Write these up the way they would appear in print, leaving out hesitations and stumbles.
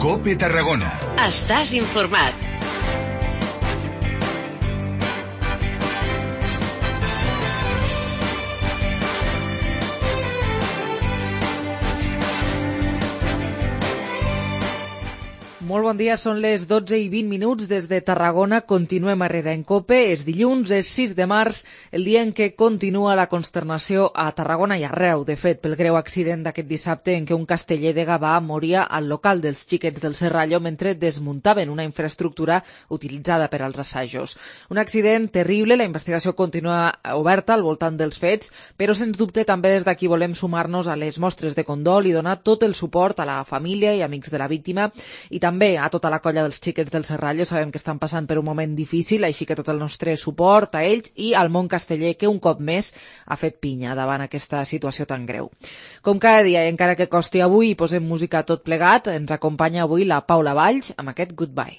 COPE Tarragona. Estàs informat. Molt bon dia, són les 12:20 des de Tarragona. Continuem a Herrera en COPE. És dilluns, és 6 de març, el dia en què continua la consternació a Tarragona i arreu, de fet, pel greu accident d'aquest dissabte en què un casteller de Gavà moria al local dels Xiquets del Serrallo mentre desmuntaven una infraestructura utilitzada per als assajos. Un accident terrible, la investigació continua oberta al voltant dels fets, però sens dubte també des d'aquí volem sumar-nos a les mostres de condol i donar tot el suport a la família i amics de la víctima i també a tota la colla dels Xiquets del Serrallo. Sabem que estan passant per un moment difícil, així que tot el nostre suport a ells i al món casteller, que un cop més ha fet pinya davant aquesta situació tan greu. Com cada dia, i encara que costi avui, i posem música tot plegat, ens acompanya avui la Paula Valls amb aquest Goodbye.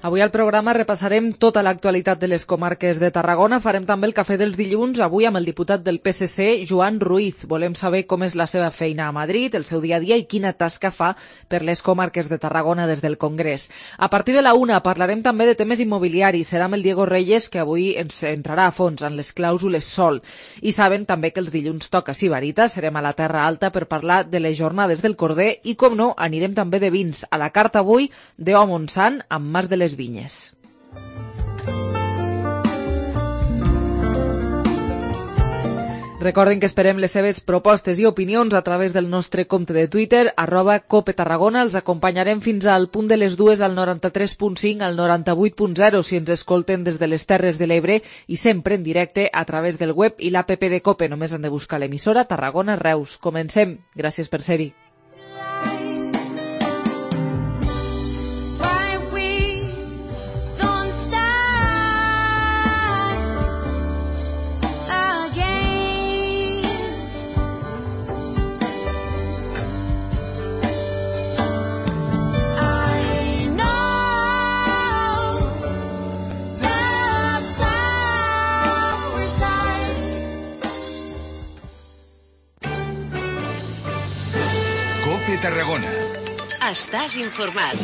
Avui al programa repassarem tota l'actualitat de les comarques de Tarragona. Farem també el cafè dels dilluns, avui amb el diputat del PSC, Joan Ruiz. Volem saber com és la seva feina a Madrid, el seu dia a dia i quina tasca fa per les comarques de Tarragona des del Congrés. A partir de la 1 parlarem també de temes immobiliaris. Serà amb el Diego Reyes, que avui ens entrarà a fons en les clàusules sol. I saben també que els dilluns toca Sibarita. Serem a la Terra Alta per parlar de les jornades del Corder i, com no, anirem també de vins. A la carta avui, d'O Montsant amb Mas de les Vinyes. Recordin que esperem les seves propostes i opinions a través del nostre compte de Twitter, @CopeTarragona. Els acompanyarem fins al punt de les 2 al 93.5, al 98.0 si ens escolten des de les Terres de l'Ebre i sempre en directe a través del web i l'app de COPE. Només han de buscar l'emissora Tarragona Reus. Comencem. Gràcies per ser-hi. COPE Tarragona. Estàs informat.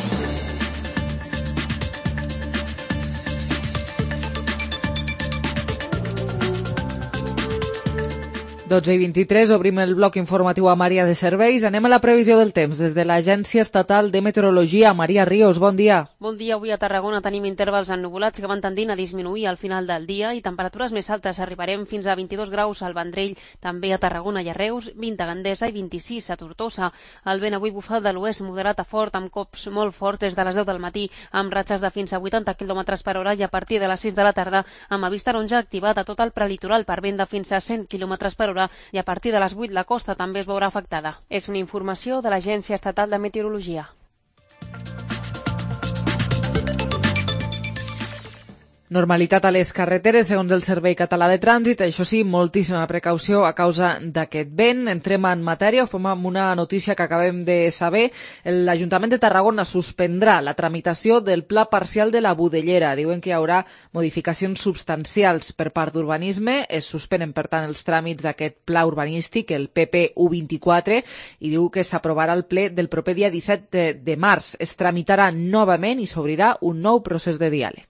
12:23, obrim el bloc informatiu a Maria de Serveis. Anem a la previsió del temps des de l'Agència Estatal de Meteorologia. Maria Ríos, bon dia. Bon dia. Avui a Tarragona tenim intervals ennuvolats que van tendint a disminuir al final del dia i temperatures més altes. Arribarem fins a 22 graus al Vendrell, també a Tarragona i a Reus, 20 a Gandesa i 26 a Tortosa. El vent avui bufa de l'oest moderat a fort, amb cops molt forts des de les 10 del matí, amb ratxes de fins a 80 km per hora i a partir de les 6 de la tarda amb avís taronja activat a tot el prelitoral per vent de fins a 100 km per hora i a partir de les 8 la costa també es veurà afectada. És una informació de l'Agència Estatal de Meteorologia. Normalitat a les carreteres, segons el Servei Català de Trànsit. Això sí, moltíssima precaució a causa d'aquest vent. Entrem en matèria, fem amb una notícia que acabem de saber. L'Ajuntament de Tarragona suspendrà la tramitació del Pla Parcial de la Budellera. Diuen que hi haurà modificacions substancials per part d'urbanisme. Es suspenen, per tant, els tràmits d'aquest pla urbanístic, el PP U24, i diu que s'aprovarà al ple del proper dia 17 de març. Es tramitarà novament i s'obrirà un nou procés de diàleg.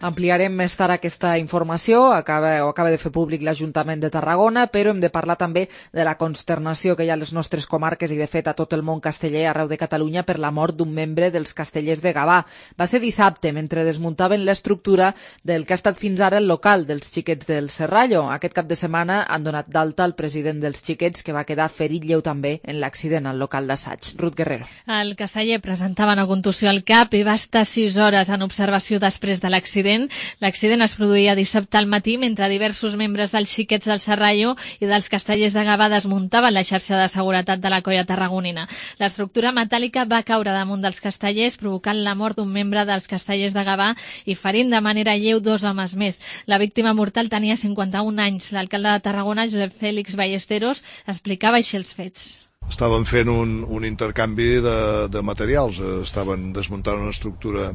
Ampliarem més tard aquesta informació, acaba de fer públic l'Ajuntament de Tarragona, però hem de parlar també de la consternació que hi ha a les nostres comarques i de fet a tot el món casteller arreu de Catalunya per la mort d'un membre dels Castellers de Gavà. Va ser dissabte, mentre desmuntaven l'estructura del que ha estat fins ara el local dels Xiquets del Serrallo. Aquest cap de setmana han donat d'alta el president dels Xiquets, que va quedar ferit lleu també en l'accident al local d'assaig. Ruth Guerrero. El casteller presentava una contusió al cap i va estar 6 hores en observació després de l'accident. l'accident. L'accident es produïa dissabte al matí mentre diversos membres dels xiquets del Serrallo i dels Castellers de Gavà desmuntaven la xarxa de seguretat de la colla tarragonina. L'estructura metàl·lica va caure damunt dels castellers, provocant la mort d'un membre dels Castellers de Gavà i ferint de manera lleu 2 homes més. La víctima mortal tenia 51 anys. L'alcalde de Tarragona, Josep Fèlix Ballesteros, explicava així els fets. Estaven fent un intercanvi de materials, estaven desmuntant una estructura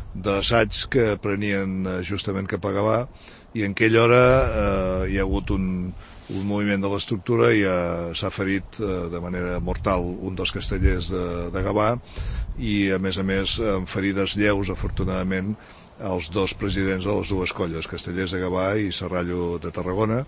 d'assaig que prenien justament cap a Gavà i en aquella hora hi ha hagut un moviment de l'estructura i s'ha ferit de manera mortal un dels castellers de Gavà i a més amb ferides lleus, afortunadament, els 2 presidents de les 2 colles, Castellers de Gavà i Serrallo de Tarragona.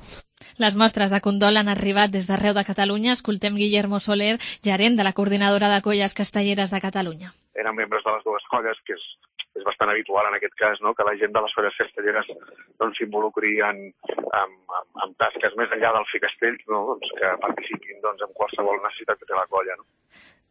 Les mostres de condol han arribat des d'arreu de Catalunya. Escoltem Guillermo Soler, gerent de la Coordinadora de Colles Castelleres de Catalunya. Eren membres de les 2 colles, que és bastant habitual en aquest cas, no? Que la gent de les colles castelleres s'involucri en tasques més enllà del fer castells, no? Que participin en qualsevol necessitat que té la colla. No?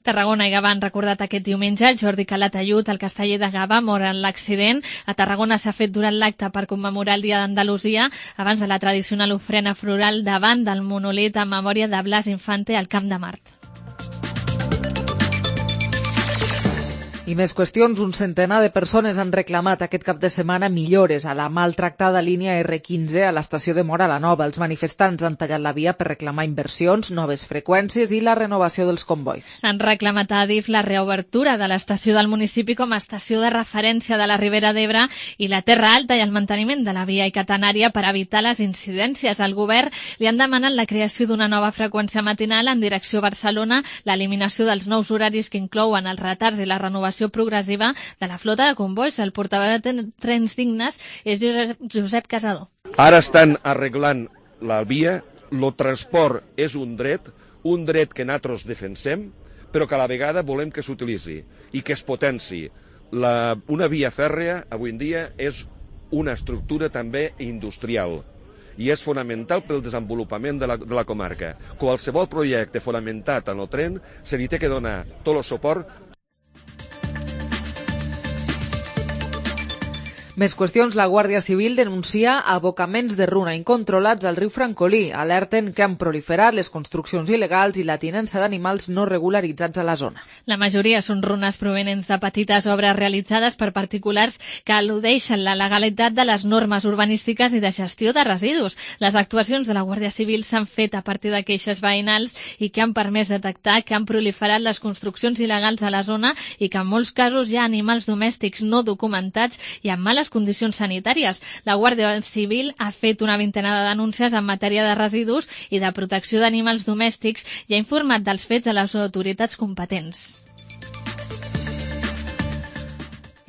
Tarragona i Gavà han recordat aquest diumenge. Jordi Calatayud, el casteller de Gavà, mor en l'accident. A Tarragona s'ha fet durant l'acte per commemorar el Dia d'Andalusia, abans de la tradicional ofrena floral davant del monolit en memòria de Blas Infante al Camp de Mart. I més qüestions. Un centenar de persones han reclamat aquest cap de setmana millores a la maltractada línia R15 a l'estació de Móra la Nova. Els manifestants han tallat la via per reclamar inversions, noves freqüències i la renovació dels combois. Han reclamat a Adif la reobertura de l'estació del municipi com a estació de referència de la Ribera d'Ebre i la Terra Alta i el manteniment de la via catenària per evitar les incidències. Al govern li han demanat la creació d'una nova freqüència matinal en direcció a Barcelona, l'eliminació dels nous horaris que inclouen els retards i la renovació progressiva de la flota de convois. El portaveu de Trens Dignes és Josep Casador. Ara estan arreglant la via, el transport és un dret que nosaltres defensem, però que a la vegada volem que s'utilitzi i que es potenci. Una via fèrrea avui en dia és una estructura també industrial i és fonamental pel desenvolupament de la comarca. Qualsevol projecte fonamentat en el tren se li té que donar tot el suport. Més qüestions. La Guàrdia Civil denuncia abocaments de runa incontrolats al riu Francolí. Alerten que han proliferat les construccions il·legals i la tinença d'animals no regularitzats a la zona. La majoria són runes provenents de petites obres realitzades per particulars que al·ludeixen la legalitat de les normes urbanístiques i de gestió de residus. Les actuacions de la Guàrdia Civil s'han fet a partir de queixes veïnals i que han permès detectar que han proliferat les construccions il·legals a la zona i que en molts casos hi ha animals domèstics no documentats i amb males condicions sanitàries. La Guàrdia Civil ha fet una vintena de denúncies en matèria de residus i de protecció d'animals domèstics i ha informat dels fets a les autoritats competents.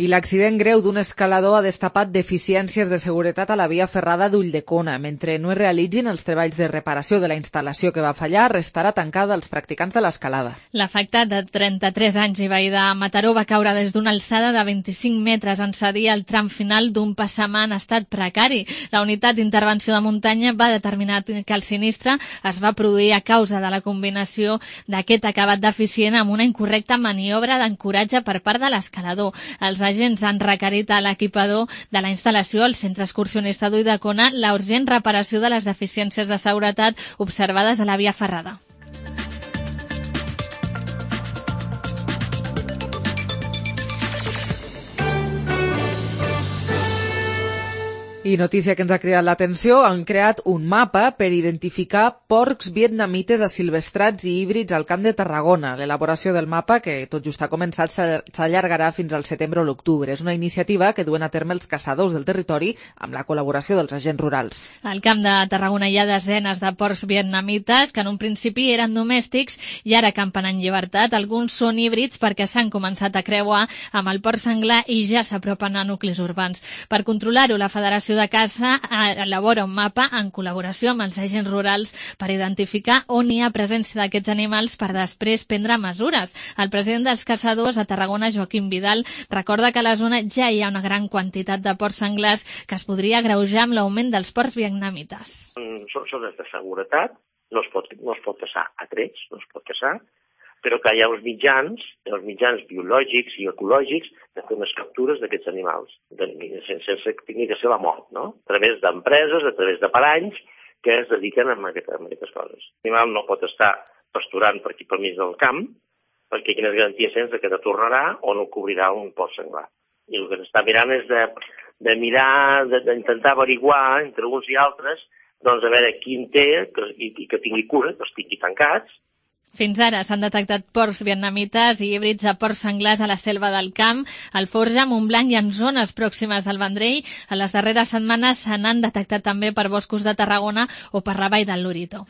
I l'accident greu d'un escalador ha destapat deficiències de seguretat a la via ferrada d'Ulldecona. Mentre no es realitzin els treballs de reparació de la instal·lació que va fallar, restarà tancada als practicants de l'escalada. L'afectat de 33 anys i veí de Mataró va caure des d'una alçada de 25 metres en cedir al tram final d'un passamà en estat precari. La unitat d'intervenció de muntanya va determinar que el sinistre es va produir a causa de la combinació d'aquest acabat deficient amb una incorrecta maniobra d'ancoratge per part de l'escalador. Els agents han requerit a l'equipador de la instal·lació, el centre excursionista d'Ulldecona, la urgent reparació de les deficiències de seguretat observades a la via ferrada. I notícia que ens ha cridat l'atenció, han creat un mapa per identificar porcs vietnamites asilvestrats i híbrids al Camp de Tarragona. L'elaboració del mapa, que tot just ha començat, s'allargarà fins al setembre o l'octubre. És una iniciativa que duen a terme els caçadors del territori amb la col·laboració dels agents rurals. Al Camp de Tarragona hi ha desenes de porcs vietnamites que en un principi eren domèstics i ara campen en llibertat. Alguns són híbrids perquè s'han començat a creuar amb el porc senglar i ja s'apropen a nuclis urbans. Per controlar-ho, la Federació de Caça elabora un mapa en col·laboració amb els agents rurals per identificar on hi ha presència d'aquests animals per després prendre mesures. El president dels caçadors a Tarragona, Joaquim Vidal, recorda que a la zona ja hi ha una gran quantitat de porcs senglars que es podria agreujar amb l'augment dels porcs vietnamites. Són zones de seguretat, no es pot caçar a trets, no es pot caçar, però que hi ha uns mitjans biològics i ecològics de fer unes captures d'aquests animals, sense que tingui que ser la mort, no? A través d'empreses, a través de paranys que es dediquen a aquestes coses. L'animal no pot estar pasturant per aquí per mig del camp, perquè quines garanties tens que te tornarà o no cobrirà un porc senglar. I el que s'està mirant és de mirar, d'intentar averiguar entre uns i altres, doncs a veure quin té i que tingui cura, que estigui tancats. Fins ara s'han detectat porcs vietnamites i híbrids de porcs senglars a la selva del Camp, al Forja, Montblanc i en zones pròximes al Vendrell. A les darreres setmanes se n'han detectat també per boscos de Tarragona o per la vall del Lorito.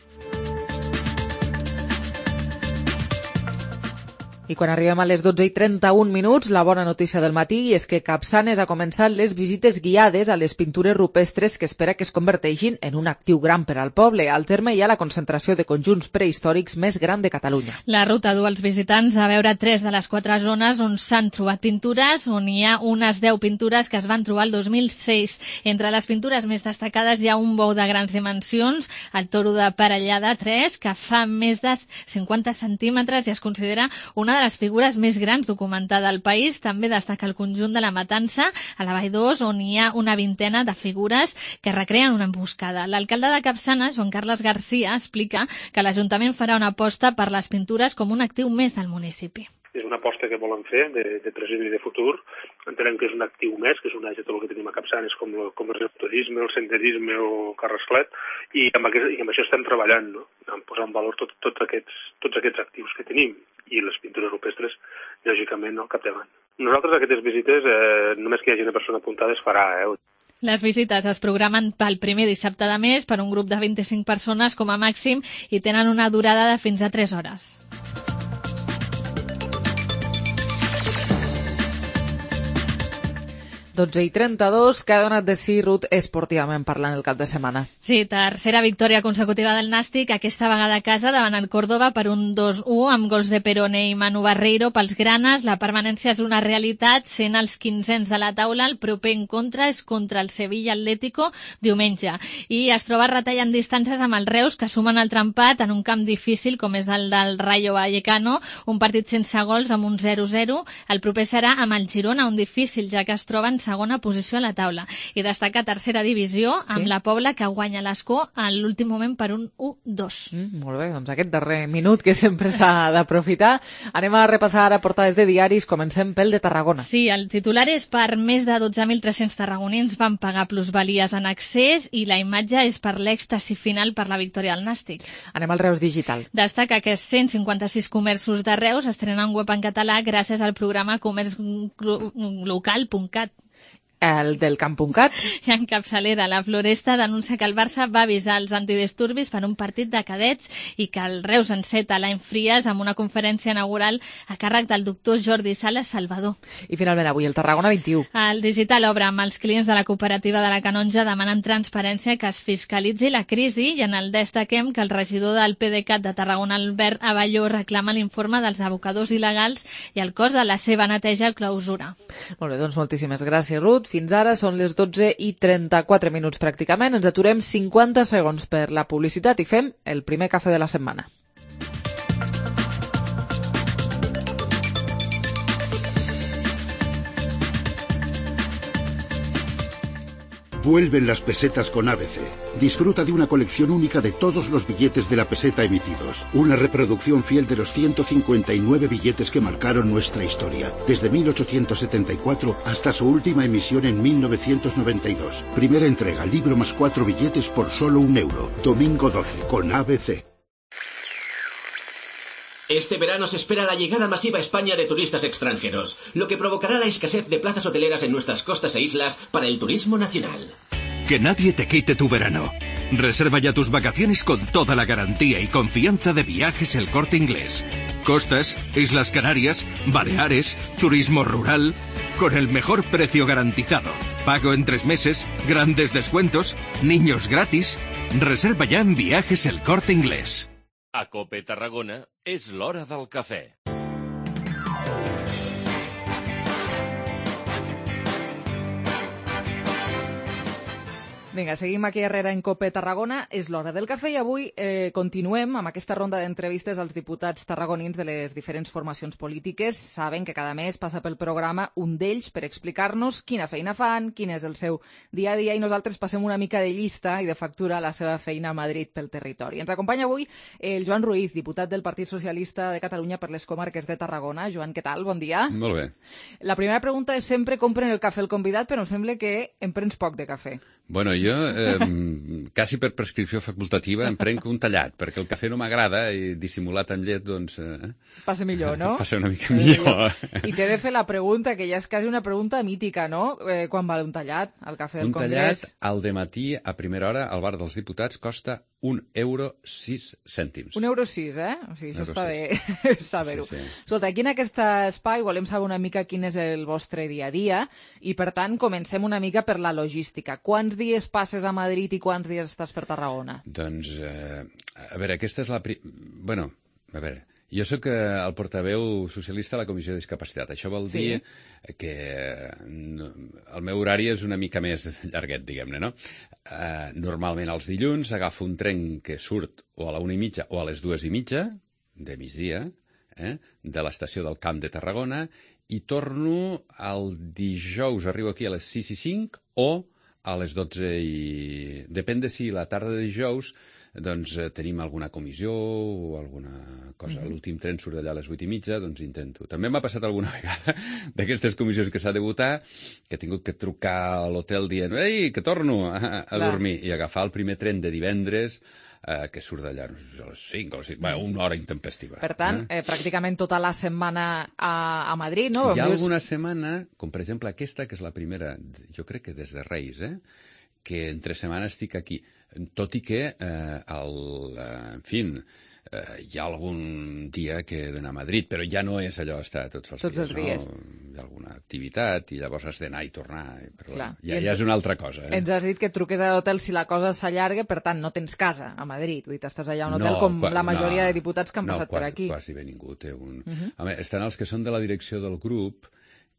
I quan arribem a les 12:31, la bona notícia del matí és que Capçanes ha començat les visites guiades a les pintures rupestres que espera que es converteixin en un actiu gran per al poble. Al terme hi ha la concentració de conjunts prehistòrics més gran de Catalunya. La ruta du els visitants a veure 3 de les 4 zones on s'han trobat pintures, on hi ha unes 10 pintures que es van trobar el 2006. Entre les pintures més destacades hi ha un bou de grans dimensions, el toro de Parellada 3, que fa més de 50 centímetres i es considera una de les figures més grans documentada al país. També destaca el conjunt de la Matança, a la Vall d'Os, on hi ha una vintena de figures que recreen una emboscada. L'alcalde de Capçanes, Joan Carles Garcia, explica que l'Ajuntament farà una aposta per les pintures com un actiu més del municipi. És una aposta que volen fer de present i de futur. Entenem que és un actiu més, que és un de tot el que tenim a Capçanes, com és el turisme, el senderisme o Carrasclet, i amb això estem treballant, no? En posar en valor tots aquests actius que tenim, i les pintures rupestres, lògicament, al capdavant. Nosaltres aquestes visites, només que hi hagi una persona apuntada es farà. Les visites es programen pel primer dissabte de mes per un grup de 25 persones com a màxim i tenen una durada de fins a 3 hores. 12:32, que ha donat de si Ruth esportivament parlant el cap de setmana. Sí, tercera victòria consecutiva del Nàstic, aquesta vegada a casa davant el Córdoba per un 2-1 amb gols de Perone i Manu Barreiro pels granes. La permanència és una realitat, sent els 15ens de la taula. El proper encontre és contra el Sevilla Atlético diumenge. I es troba retallant distàncies amb els Reus, que sumen el trempat en un camp difícil com és el del Rayo Vallecano, un partit sense gols amb un 0-0. El proper serà amb el Girona, un difícil, ja que es troben segona posició a la taula. I destaca tercera divisió amb la Pobla, que guanya l'Escó a l'últim moment per un 1-2. Molt bé, doncs aquest darrer minut que sempre s'ha d'aprofitar. Anem a repassar ara portades de diaris. Comencem pel de Tarragona. Sí, el titular és per més de 12.300 tarragonins van pagar plusvalies en accés i la imatge és per l'èxtasi final per la victòria del Nàstic. Anem al Reus Digital. Destaca que 156 comerços de Reus estrenen web en català gràcies al programa comerçlocal.cat. El del Camp.cat. I en capçalera, la Floresta denuncia que el Barça va avisar els antidisturbis per un partit de cadets i que el Reus enceta l'any Fries amb una conferència inaugural a càrrec del doctor Jordi Sala Salvador. I finalment avui el Tarragona 21. El Digital obre amb els clients de la cooperativa de la Canonja demanen transparència, que es fiscalitzi la crisi, i en el destaquem que el regidor del PDeCAT de Tarragona, Albert Avalló, reclama l'informe dels abocadors il·legals i el cost de la seva neteja a clausura. Molt bé, doncs moltíssimes gràcies, Ruth. Fins ara són les 12:34 pràcticament. Ens aturem 50 segons per la publicitat i fem el primer cafè de la setmana. Vuelven las pesetas con ABC. Disfruta de una colección única de todos los billetes de la peseta emitidos. Una reproducción fiel de los 159 billetes que marcaron nuestra historia, desde 1874 hasta su última emisión en 1992. Primera entrega, libro más 4 billetes por solo €1. Domingo 12, con ABC. Este verano se espera la llegada masiva a España de turistas extranjeros, lo que provocará la escasez de plazas hoteleras en nuestras costas e islas para el turismo nacional. Que nadie te quite tu verano. Reserva ya tus vacaciones con toda la garantía y confianza de Viajes El Corte Inglés. Costas, Islas Canarias, Baleares, turismo rural, con el mejor precio garantizado. Pago en 3 meses, grandes descuentos, niños gratis. Reserva ya en Viajes El Corte Inglés. A COPE Tarragona és l'hora del cafè. Vinga, seguim aquí darrere en COPE Tarragona. És l'hora del cafè i avui continuem amb aquesta ronda d'entrevistes als diputats tarragonins de les diferents formacions polítiques. Saben que cada mes passa pel programa un d'ells per explicar-nos quina feina fan, quin és el seu dia a dia, i nosaltres passem una mica de llista i de factura a la seva feina a Madrid pel territori. Ens acompanya avui el Joan Ruiz, diputat del Partit Socialista de Catalunya per les comarques de Tarragona. Joan, què tal? Bon dia. Molt bé. La primera pregunta és sempre com pren el cafè el convidat, però em sembla que em prens poc de cafè. Bueno, jo, quasi per prescripció facultativa, em prenc un tallat, perquè el cafè no m'agrada i dissimulat amb llet, doncs... Passa millor, no? Passa una mica millor. I t'he de fer la pregunta, que ja és quasi una pregunta mítica, no? Quan val un tallat al cafè del Congrés? Un tallat al dematí, a primera hora, al bar dels diputats, costa €1,06. €1,06, eh? O sigui, això està bé saber-ho. Sí. Escolta, aquí en aquest espai volem saber una mica quin és el vostre dia a dia i, per tant, comencem una mica per la logística. Quants dies passes a Madrid i quants dies estàs per Tarragona? Doncs, a veure, aquesta és la... Bueno, a veure... Jo sóc el portaveu socialista a la Comissió de Discapacitat. Això vol dir que el meu horari és una mica més llarguet, diguem-ne, no? Normalment els dilluns agafo un tren que surt o a la 1:30 o a les 2:30 de migdia, de l'estació del Camp de Tarragona, i torno el dijous, arribo aquí a les 6:05 o a les 12:00. Depèn de si la tarda de dijous doncs tenim alguna comissió o alguna cosa. L'últim tren surt d'allà a les 8:30, doncs intento. També m'ha passat alguna vegada d'aquestes comissions que s'ha de votar, que he tingut que trucar a l'hotel dient «Ei, que torno a dormir», i agafar el primer tren de divendres que surt d'allà a les 5 o a les 6, una hora intempestiva. Per tant, pràcticament tota la setmana a Madrid, no? Hi ha alguna setmana, com per exemple aquesta, que és la primera, jo crec que des de Reis, que entre setmana estic aquí, tot i que, en fi, hi ha algun dia que he d'anar a Madrid, però ja no és allò estar tots els dies. Hi ha alguna activitat i llavors has d'anar i tornar, però ja és una altra cosa. Ens has dit que truques a l'hotel si la cosa s'allarga, per tant, no tens casa a Madrid, vull dir, estàs allà a un hotel com la majoria de diputats que han passat per aquí. No, quasi bé ningú té un... Estan els que són de la direcció del grup,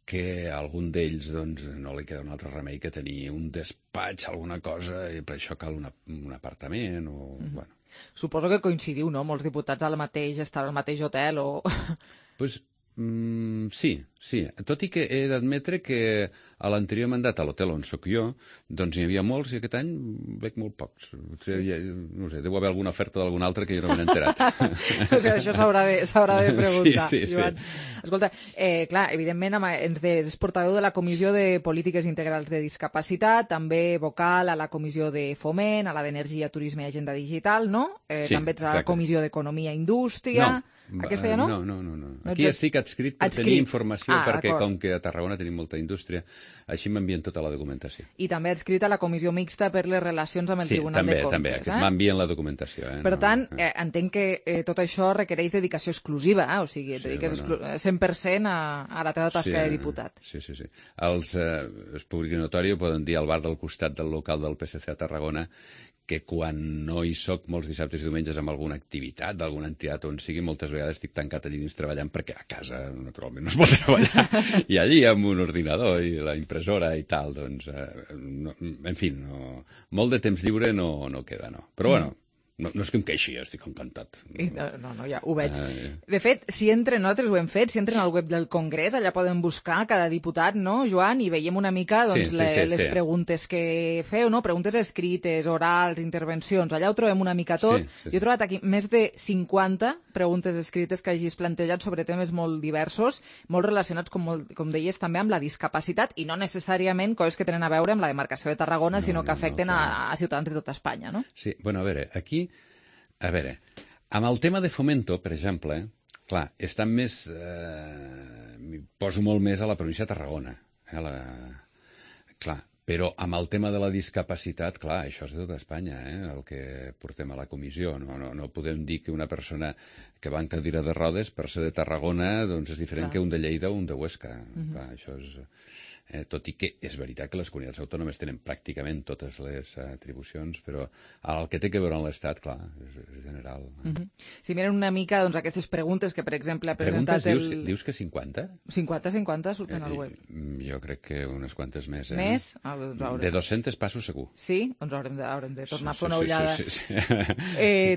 que a algun d'ells doncs, no li queda un altre remei que tenir un despatx, alguna cosa, i per això cal un apartament o... Bueno. Suposo que coincidiu, no?, molts diputats al mateix hotel o... Pues, sí. Tot i que he d'admetre que a l'anterior mandat, a l'hotel on sóc jo, doncs n'hi havia molts i aquest any veig molt pocs. No sé, deu haver alguna oferta d'algun altre que jo no m'he enterat. O sigui, això s'haurà de preguntar. Sí. Escolta, clar, evidentment és portaveu de la Comissió de Polítiques Integrals de Discapacitat, també vocal a la Comissió de Foment, a la d'Energia, Turisme i Agenda Digital, no? També ets a la Comissió d'Economia i Indústria. Aquesta ja no? No. Aquí estic adscrit per tenir informació, perquè com que a Tarragona tenim molta indústria, així m'envien tota la documentació. I també adscrit a la Comissió Mixta per les relacions amb el Tribunal de Comptes. Sí, també, m'envien la documentació. Per tant, entenc que tot això requereix dedicació exclusiva, o sigui, et dediques 100% a la teva tasca de diputat. Sí. Els públic i notori poden dir al bar del costat del local del PSC a Tarragona que quan no hi soc molts dissabtes i diumenges amb alguna activitat d'alguna entitat on sigui, moltes vegades estic tancat allí dins treballant, perquè a casa naturalment no es pot treballar, i allí amb un ordinador i la impressora i tal, doncs, en fi, molt de temps lliure no queda, no. Però bueno, no és que em queixi, estic encantat. No, ja ho veig. De fet, nosaltres ho hem fet, si entren al web del Congrés, allà poden buscar cada diputat, no, Joan, i veiem una mica les preguntes que feu, no? Preguntes escrites, orals, intervencions, allà ho trobem una mica tot. Jo he trobat aquí més de 50 preguntes escrites que hagis plantejat sobre temes molt diversos, molt relacionats, com deies, també amb la discapacitat, i no necessàriament coses que tenen a veure amb la demarcació de Tarragona, sinó que afecten a ciutadans de tota Espanya, no? Sí, bueno, a veure, amb el tema de Fomento, per exemple, clar, estan més... poso molt més a la província de Tarragona. Clar, però amb el tema de la discapacitat, clar, això és de tota Espanya, el que portem a la comissió. No podem dir que una persona que va en cadira de rodes, per ser de Tarragona, doncs és diferent que un de Lleida o un de Huesca. Clar, això és... tot i que és veritat que les comunitats autònomes tenen pràcticament totes les atribucions, però el que té que veure amb l'Estat, clar, és general. Si miren una mica doncs, aquestes preguntes que, per exemple, ha presentat dius que 50? 50 surten al web. Jo crec que unes quantes més. Més? De 200 passos segur. Sí? Doncs haurem de tornar a fer una ullada. Sí.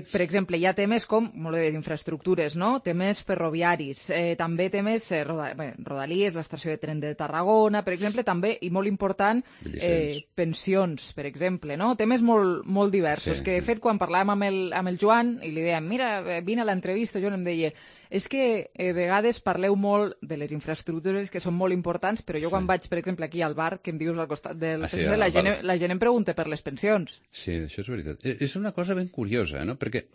Per exemple, hi ha temes com, molt bé, infraestructures, no? Temes ferroviaris, també temes Rodalies, l'estació de tren de Tarragona, per exemple, també, i molt important, pensions, per exemple, no? Temes molt diversos, que de fet, quan parlàvem amb el Joan, i li dèiem, mira, vine a l'entrevista, Joan em deia, és que a vegades parleu molt de les infraestructures que són molt importants, però jo quan vaig, per exemple, aquí al bar, que em dius al costat del PSC, la gent em pregunta per les pensions. Sí, això és veritat. És una cosa ben curiosa, no? Perquè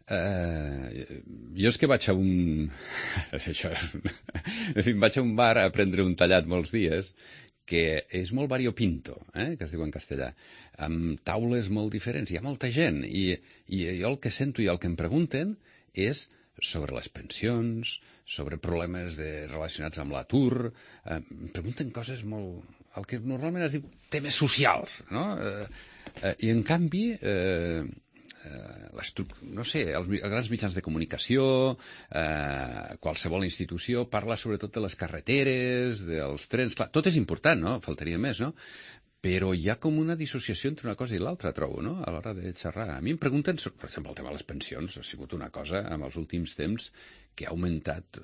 jo és que vaig a un... En fi, vaig a un bar a prendre un tallat molts dies que és molt variopinto, que es diu en castellà, amb taules molt diferents. Hi ha molta gent i jo el que sento i el que em pregunten és sobre les pensions, sobre problemes relacionats amb l'atur, em pregunten coses molt... el que normalment es diu temes socials, no? I en canvi... no sé, els grans mitjans de comunicació, qualsevol institució parla sobretot de les carreteres, dels trens, clar, tot és important, no? Faltaria més, no? Però hi ha com una dissociació entre una cosa i l'altra, trobo, no? A l'hora de xerrar. A mi em pregunten, per exemple, el tema de les pensions ha sigut una cosa, en els últims temps, que ha augmentat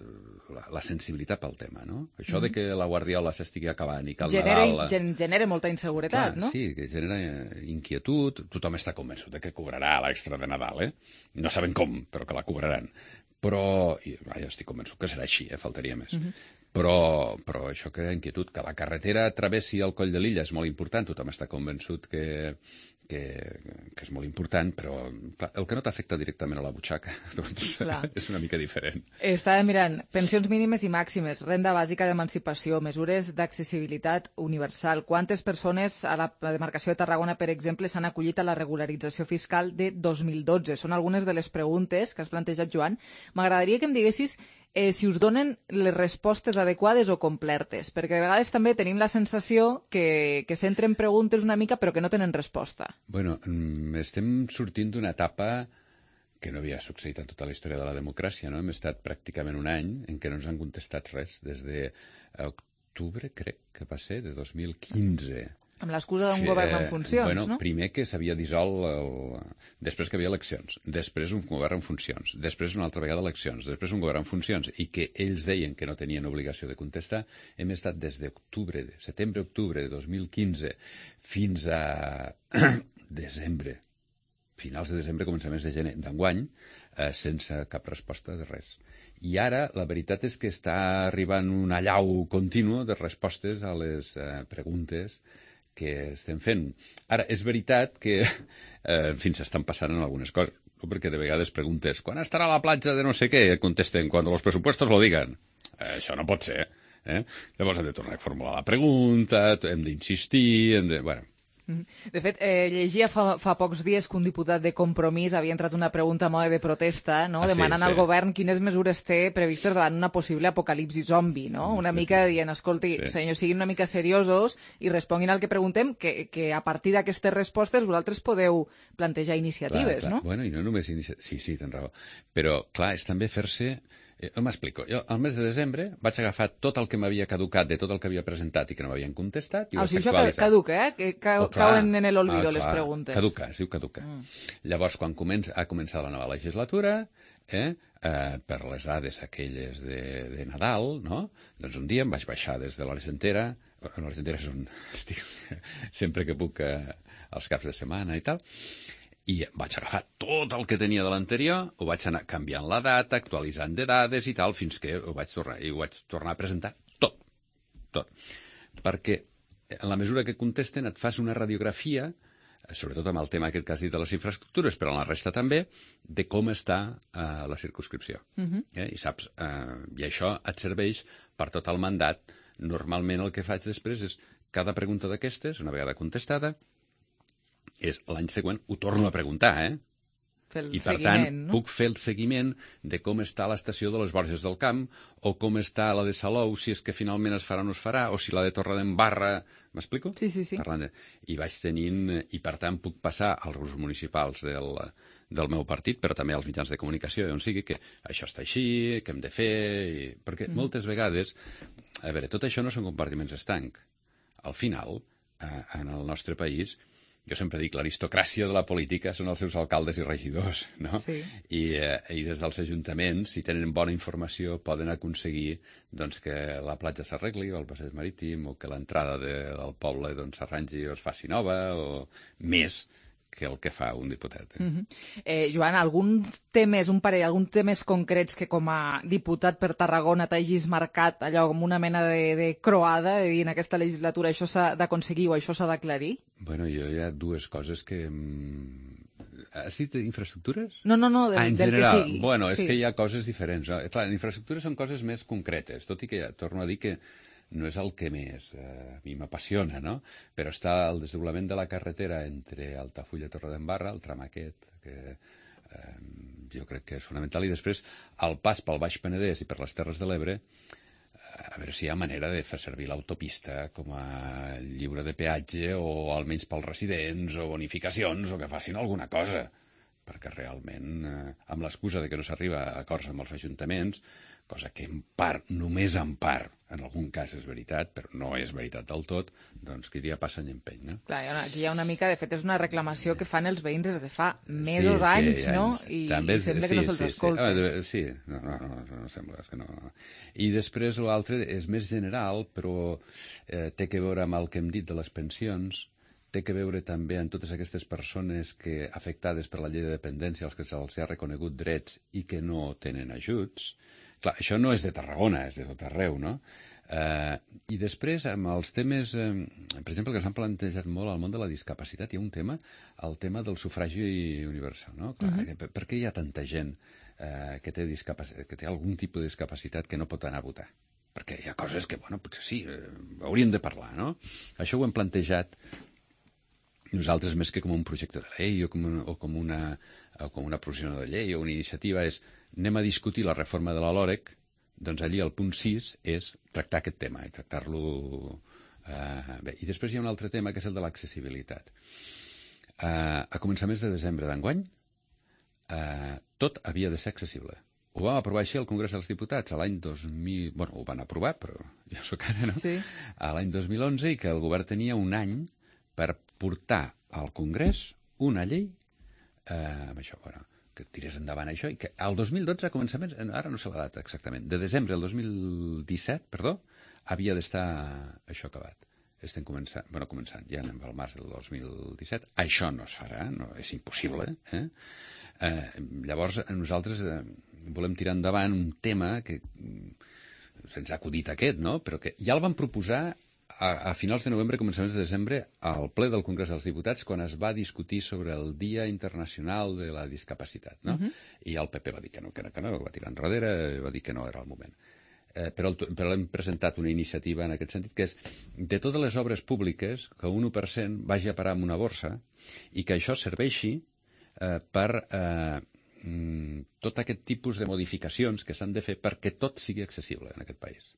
la sensibilitat pel tema, no? Això de que la Guardiola s'estigui acabant i que el Nadal... Genera molta inseguretat, no? Sí, que genera inquietud. Tothom està convençut de que cobrarà l'extra de Nadal, No saben com, però que la cobraran. Però, jo estic convençut que serà així, faltaria més. Però això crea inquietud, que la carretera travessi el Coll de l'Illa és molt important, tothom està convençut que és molt important, però clar, el que no t'afecta directament a la butxaca doncs és una mica diferent. Estava mirant pensions mínimes i màximes, renda bàsica d'emancipació, mesures d'accessibilitat universal. Quantes persones a la demarcació de Tarragona, per exemple, s'han acollit a la regularització fiscal de 2012? Són algunes de les preguntes que has plantejat, Joan. M'agradaria que em diguessis si us donen les respostes adequades o complertes, perquè de vegades també tenim la sensació que s'entren preguntes una mica però que no tenen resposta. Bueno, estem sortint d'una etapa que no havia succeït en tota la història de la democràcia, no? Hem estat pràcticament un any en què no ens han contestat res, des d'octubre, crec que va ser, de 2015. Amb l'excusa d'un govern en funcions, no? Primer que s'havia dissolt, després que hi havia eleccions, després un govern en funcions, després una altra vegada eleccions, després un govern en funcions, i que ells deien que no tenien obligació de contestar. Hem estat des setembre-octubre de 2015 fins a desembre, finals de desembre, començaments de gener d'enguany, sense cap resposta de res. I ara la veritat és que està arribant un allau continu de respostes a les preguntes que estem fent. Ara, és veritat que s'estan passant en algunes coses, perquè de vegades preguntes quan estarà la platja de no sé què? Contesten, quan los presupuestos lo digan. Això no pot ser. Llavors hem de tornar a formular la pregunta, hem d'insistir, Bueno, de fet, llegia fa pocs dies que un diputat de Compromís havia entrat una pregunta a mode de protesta, no? Demanant al govern quines mesures té previstes davant una possible apocalipsi zombi, no? Una mica dient, escolti, senyor, siguin una mica seriosos i responguin al que preguntem, que a partir d'aquestes respostes vosaltres podeu plantejar iniciatives, no? Bueno, i no només iniciatives... Sí, tens raó. Però, clar, és també fer-se... M'explico. Jo, al mes de desembre, vaig agafar tot el que m'havia caducat de tot el que havia presentat i que no m'havien contestat i ho vaig actualitzar. Això caduca, que cauen en l'olvido les preguntes. Caduca, es diu caduca. Llavors, quan ha començat la nova legislatura, per les dades aquelles de Nadal, no? Doncs un dia em vaig baixar des de l'Argentera, l'Argentera és on estic sempre que puc als caps de setmana i tal, i vaig agafar tot el que tenia de l'anterior, ho vaig anar canviant la data, actualitzant de dades i tal, fins que ho vaig tornar a presentar tot. Perquè en la mesura que contesten et fas una radiografia, sobretot amb el tema aquest que has dit de les infraestructures, però en la resta també, de com està la circumscripció. I saps, i això et serveix per tot el mandat. Normalment el que faig després és cada pregunta d'aquestes, una vegada contestada, és l'any següent ho torno a preguntar, I, per tant, puc fer el seguiment de com està l'estació de les Borges del Camp o com està la de Salou, si és que finalment es farà o no es farà, o si la de Torredembarra... M'explico? Sí. I vaig tenint... I, per tant, puc passar als grups municipals del meu partit, però també als mitjans de comunicació, on sigui, que això està així, que hem de fer... Perquè moltes vegades... A veure, tot això no són compartiments estancs. Al final, en el nostre país... Jo sempre dic, l'aristocràcia de la política són els seus alcaldes i regidors, no? Sí. I des dels ajuntaments, si tenen bona informació, poden aconseguir doncs, que la platja s'arregli, o el passeig marítim, o que l'entrada del poble s'arrangi o es faci nova, o més que el que fa un diputat. Joan, alguns temes concrets que com a diputat per Tarragona t'hagis marcat allò com una mena de croada, de dir en aquesta legislatura això s'ha d'aconseguir o això s'ha d'aclarir? Bueno, jo hi ha dues coses que... Has dit infraestructures? No, del que sigui. Bueno, és que hi ha coses diferents. No? Clar, infraestructures són coses més concretes, tot i que ja torno a dir que no és el que més a mi m'apassiona, no? Però està el desdoblament de la carretera entre Altafulla i Torredembarra, el tram aquest, que jo crec que és fonamental, i després el pas pel Baix Penedès i per les Terres de l'Ebre, a veure si hi ha manera de fer servir l'autopista com a lliure de peatge o almenys pels residents o bonificacions o que facin alguna cosa, perquè realment, amb l'excusa de que no s'arriba a acords amb els ajuntaments, cosa que en part, només en part, en algun cas és veritat, però no és veritat del tot, doncs qui dia passa any empeny, no? Clar, aquí hi ha una mica, de fet, és una reclamació que fan els veïns des de fa mesos, anys, no? I sembla que no se'ls escolta. Sí, no sembla que no. I després l'altre és més general, però té que veure amb el que hem dit de les pensions, té que veure també amb totes aquestes persones que afectades per la llei de dependència, als que se'ls ha reconegut drets i que no tenen ajuts. Clar, això no és de Tarragona, és de tot arreu, no? I després, amb els temes, per exemple, que s'han plantejat molt al món de la discapacitat, hi ha un tema, el tema del sufragi universal, no? Clar, per què hi ha tanta gent que té algun tipus de discapacitat que no pot anar a votar? Perquè hi ha coses que, bueno, potser sí, hauríem de parlar, no? Això ho hem plantejat nosaltres més que com un projecte de llei o com una proposició de llei o una iniciativa és anem a discutir la reforma de la LOREC, doncs allí el punt 6 és tractar aquest tema i tractar-lo bé. I després hi ha un altre tema que és el de l'accessibilitat. A començaments de desembre d'enguany tot havia de ser accessible. Ho vam aprovar així al Congrés dels Diputats a l'any 2000... Bueno, ho van aprovar, però jo sóc ara, no? Sí. A l'any 2011 i que el govern tenia un any per portar al Congrés una llei amb això, bueno, que tirés endavant això, i que al 2012, a començaments, ara no sé la data exactament, de desembre del 2017, perdó, havia d'estar això acabat. Estem començant, ja anem al març del 2017, això no es farà, no, és impossible. Llavors, nosaltres volem tirar endavant un tema que se'ns ha acudit aquest, no? Però que ja el vam proposar a finals de novembre, començaments de desembre, al ple del Congrés dels Diputats, quan es va discutir sobre el Dia Internacional de la Discapacitat, no? I el PP va dir que no, va tirar enrere, va dir que no era el moment. Però hem presentat una iniciativa en aquest sentit, que és de totes les obres públiques, que un 1% vagi a parar en una borsa i que això serveixi per tot aquest tipus de modificacions que s'han de fer perquè tot sigui accessible en aquest país.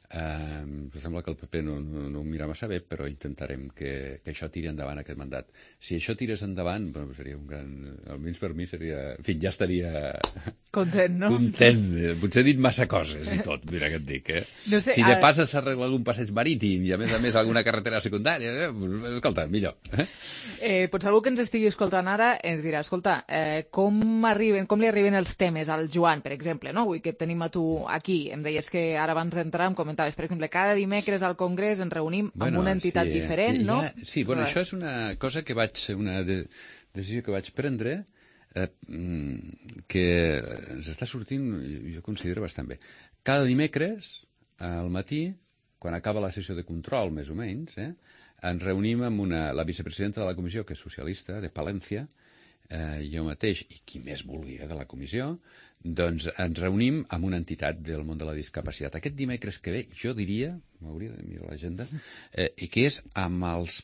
Em sembla que el PP no ho mira massa bé, però intentarem que això tiri endavant aquest mandat. Si això tirés endavant, bueno, seria un gran... Almenys per mi seria... En fi, ja estaria... Content, no? Content. Potser he dit massa coses i tot, mira què et dic, No sé, si de pas s'arregla algun passeig marítim i a més alguna carretera secundària, escolta, millor. Potser algú que ens estigui escoltant ara ens dirà, escolta, com li arriben els temes al Joan, per exemple, no? Avui que et tenim a tu aquí, em deies que ara abans d'entrar em comentaves, per exemple, cada dimecres al Congrés ens reunim amb una entitat diferent, no? Sí, bueno, això és una cosa que una decisió que vaig prendre que ens està sortint, jo considero bastant bé. Cada dimecres, al matí, quan acaba la sessió de control, més o menys, ens reunim amb la vicepresidenta de la comissió, que és socialista, de Palència, jo mateix, i qui més vulgui de la comissió, doncs ens reunim amb una entitat del món de la discapacitat. Aquest dimecres que ve, jo diria, m'hauria de mirar l'agenda, i que és amb els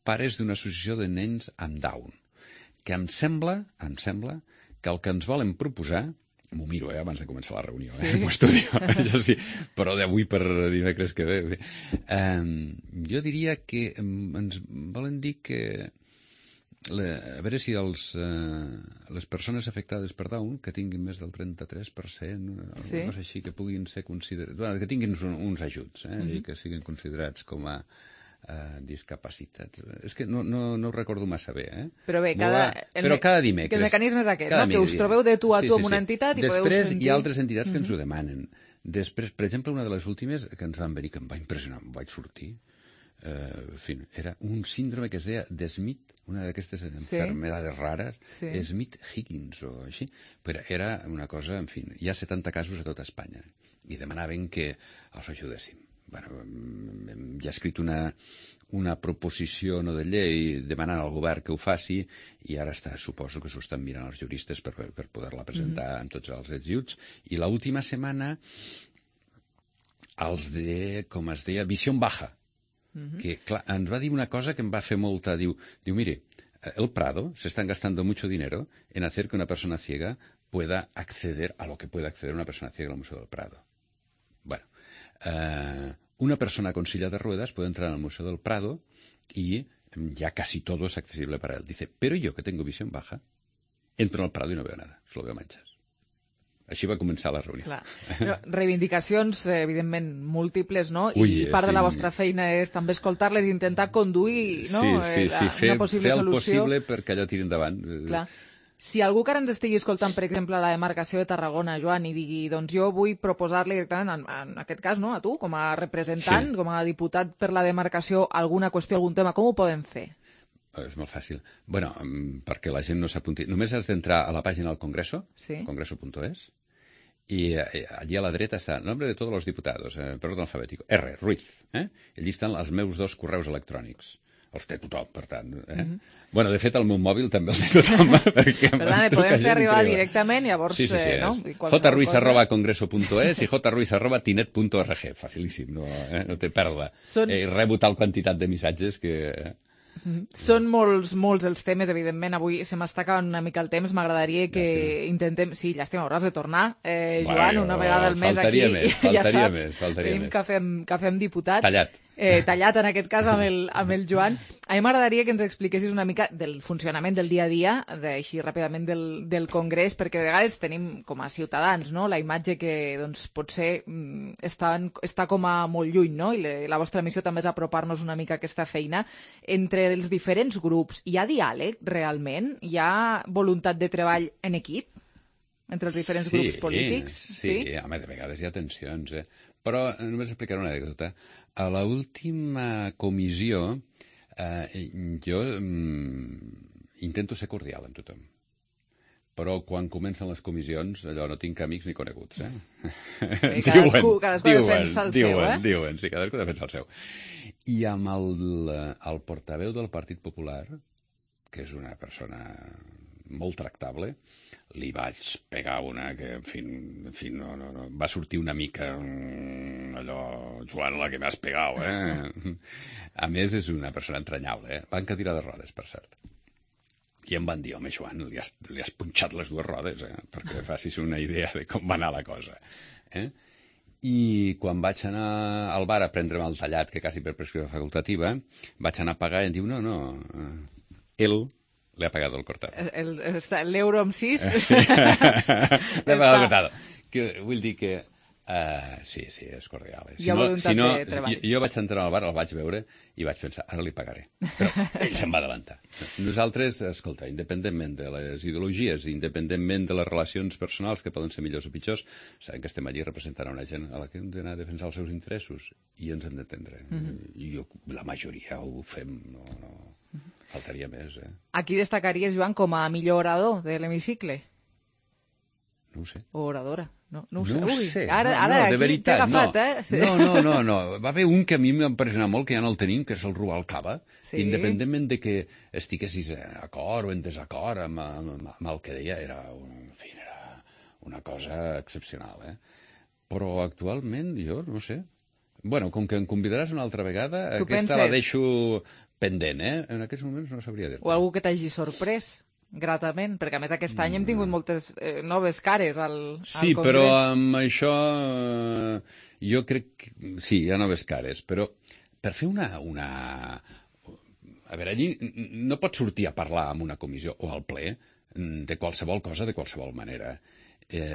pares d'una associació de nens amb Down. que em sembla que el que ens volen proposar, m'ho miro, abans de començar la reunió, m'ho estudio, això sí, però d'avui per dimecres que ve. Jo diria que ens volen dir que a veure si les persones afectades per Down, que tinguin més del 33%, alguna cosa així, que puguin ser considerats, que tinguin uns ajuts, i que siguin considerats com a discapacitats. És que no ho recordo massa bé, Però bé, cada dimecres. Que el mecanisme és aquest, que us trobeu de tu a tu amb una entitat i podeu sentir... Després hi ha altres entitats que ens ho demanen. Després, per exemple, una de les últimes que ens van venir, que em va impressionar, em vaig sortir, en fi, era un síndrome que es deia de Smith, una d'aquestes enfermedades rares, Smith-Higgins o així, però era una cosa, en fi, hi ha 70 casos a tota Espanya i demanaven que els ajudéssim. Hem ja escrit una proposició de llei demanant al govern que ho faci i ara suposo que s'ho estan mirant els juristes per poder-la presentar amb tots els ajuts. I l'última setmana els de, com es deia, Visión Baja, que clar, ens va dir una cosa que em va fer molta... Diu, mire, el Prado se están gastando mucho dinero en hacer que una persona ciega pueda acceder a lo que puede acceder una persona ciega al Museo del Prado. Bueno, una persona con silla de ruedas puede entrar al Museo del Prado y ya casi todo es accesible para él. Dice, pero yo que tengo visión baja, entro al Prado y no veo nada, solo veo manchas. Així va començar la reunió. Clar. Reivindicacions, evidentment, múltiples, no? I part de la vostra feina és també escoltar-les i intentar conduir una possible fer el solució. possible perquè allò tiri endavant. Clar. Si algú que ara ens estigui escoltant, per exemple, la demarcació de Tarragona, Joan, i digui, doncs jo vull proposar-li directament, en aquest cas, no, a tu, com a representant, com a diputat per la demarcació, alguna qüestió, algun tema, com ho podem fer? És molt fàcil. Bueno, perquè la gent no s'apunti. Només has d'entrar a la pàgina del Congreso, congreso.es, i allí a la dreta està el nombre de tots els diputats, per ordre alfabètic, R, Ruiz. Allí estan els meus 2 correus electrònics. Els té tothom, per tant. Bueno, de fet, el meu mòbil també el té tothom. Per tant, podem fer arribar directament, llavors... no? jruiz@congreso.es i jruiz@tinet.org. Facilíssim, no té pèrdua. I rebo tal quantitat de missatges que... Són molts els temes, evidentment. Avui se m'està acabant una mica el temps. M'agradaria que intentem... Sí, llàstima, hauràs de tornar, Joan, una vegada al mes aquí. Faltaria més. Tenim que fem diputat. Tallat en aquest cas amb el Joan. A mi m'agradaria que ens expliquessis una mica del funcionament del dia a dia, així ràpidament del Congrés, perquè de vegades tenim com a ciutadans, no?, la imatge que doncs, potser està com a molt lluny, no? I la vostra missió també és apropar-nos una mica a aquesta feina. Entre els diferents grups, hi ha diàleg realment? Hi ha voluntat de treball en equip entre els diferents grups polítics? Sí, home, de vegades hi ha tensions, Però només explicaré una anècdota. A l'última comissió jo intento ser cordial amb tothom. Però quan comencen les comissions, allò no tinc amics ni coneguts, Cadascú defensa el seu, Diuen, sí, cadascú defensa el seu. I amb el portaveu del Partit Popular, que és una persona molt tractable, li vaig pegar una que, en fi, no, va sortir una mica allò, Joan, la que m'has pegat, A més, és una persona entranyable, Va en cadira de rodes, per cert. I em van dir, home, Joan, li has punxat les 2 rodes, perquè facis una idea de com va anar la cosa. I quan vaig anar al bar a prendre'm el tallat, que quasi per prescripció facultativa, vaig anar a pagar i em diu, no, él le ha pagado el cortado. L'euro amb 6. Le ha pagado el cortado. Vull dir que... sí, és cordial. Hi ha voluntat de treball. Jo vaig entrar al bar, el vaig veure i vaig pensar, ara li pagaré. Però ell se'n va adelantar. Nosaltres, escolta, independentment de les ideologies, independentment de les relacions personals, que poden ser millors o pitjors, sabem que estem allí representant una gent a la que hem d'anar a defensar els seus interessos i ens hem d'entendre. I la majoria ho fem, no faltaria més. A qui destacaries, Joan, com a millor orador de l'hemicicle? No ho sé. O oradora? No ho sé. Ara de veritat, t'he agafat, No. Va haver un que a mi m'ha impressionat molt, que ja no el tenim, que és el Rubalcaba, que independentment de que estiguessis d'acord o en desacord amb el que deia, era una cosa excepcional, Però actualment, jo no sé. Bueno, com que em convidaràs una altra vegada, aquesta la deixo pendent, En aquests moments no sabria dir-te. O algú que t'hagi sorprès? Gratament, perquè a més aquest any hem tingut moltes noves cares al Congrés. Sí, però amb això jo crec que sí, hi ha noves cares, però per fer una... A veure, allí no pots sortir a parlar en una comissió o al ple de qualsevol cosa de qualsevol manera,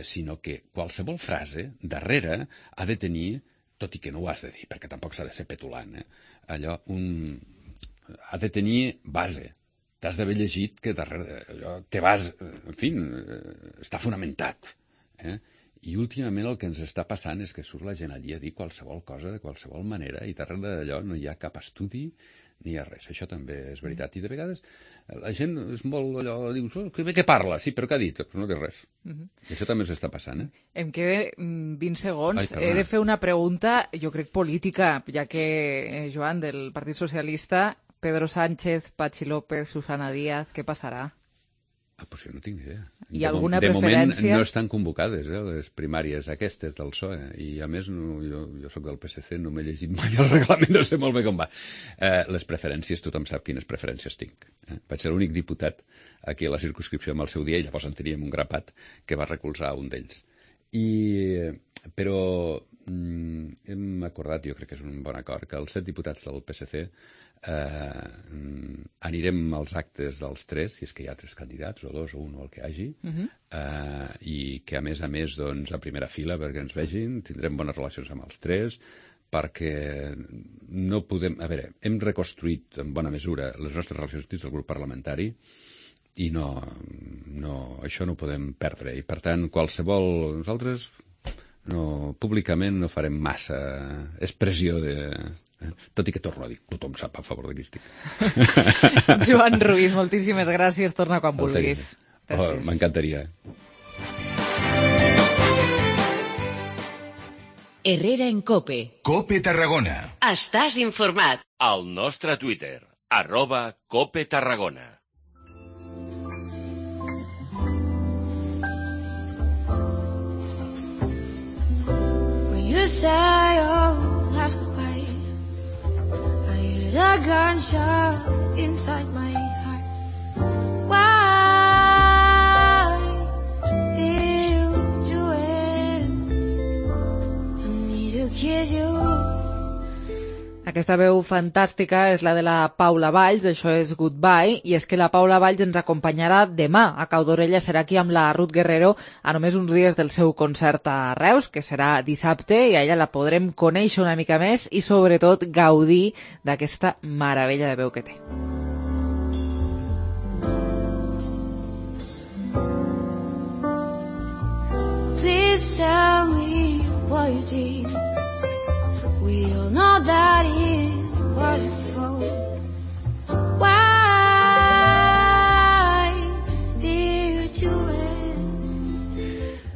sinó que qualsevol frase darrere ha de tenir, tot i que no ho has de dir, perquè tampoc s'ha de ser petulant, allò, ha de tenir base. T'has d'haver llegit que darrere allò té base, en fi, està fonamentat. I últimament el que ens està passant és que surt la gent allí a dir qualsevol cosa de qualsevol manera i darrere d'allò no hi ha cap estudi ni hi ha res. Això també és veritat. I de vegades la gent és molt allò, dius, que bé que parla, sí, però què ha dit? Pues no té res. I això també s'està passant, Em queden 20 segons. He de fer una pregunta, jo crec política, ja que, Joan, del Partit Socialista, Pedro Sánchez, Patxi López, Susana Díaz, què passarà? Pues jo no tinc ni idea. I alguna preferència? De moment preferència? no estan convocades, les primàries aquestes del PSOE. I a més, jo soc del PSC, no m'he llegit mai el reglament, no sé molt bé com va. Les preferències, tothom sap quines preferències tinc. Vaig ser l'únic diputat aquí a la circumscripció amb el seu dia i llavors en teníem un grapat que va recolzar un d'ells. Però hem acordat, jo crec que és un bon acord, que els 7 diputats del PSC anirem als actes dels 3, si és que hi ha 3 candidats, o 2, o 1, o el que hi hagi, i que a més, doncs, a primera fila, perquè ens vegin, tindrem bones relacions amb els 3, perquè no podem... A veure, hem reconstruït en bona mesura les nostres relacions dins del grup parlamentari i això no ho podem perdre. I, per tant, nosaltres públicament no farem massa expressió de... Tot i que torno a dir, tothom sap a favor de qui estic. Joan Ruiz, moltíssimes gràcies. Torna quan vulguis. M'encantaria. Herrera en COPE. COPE Tarragona. Estàs informat. Al nostre Twitter, @COPE Tarragona. When you say, oh, that's goodbye, I hear the gunshot inside my heart. Why did you do it? I need to kiss you. Aquesta veu fantàstica és la de la Paula Valls, això és Goodbye, i és que la Paula Valls ens acompanyarà demà. A Cau d'Orella serà aquí amb la Ruth Guerrero a només uns dies del seu concert a Reus, que serà dissabte, i a ella la podrem conèixer una mica més i sobretot gaudir d'aquesta meravella de veu que té. Please tell me what you did. We all know that it was your fault. Why did you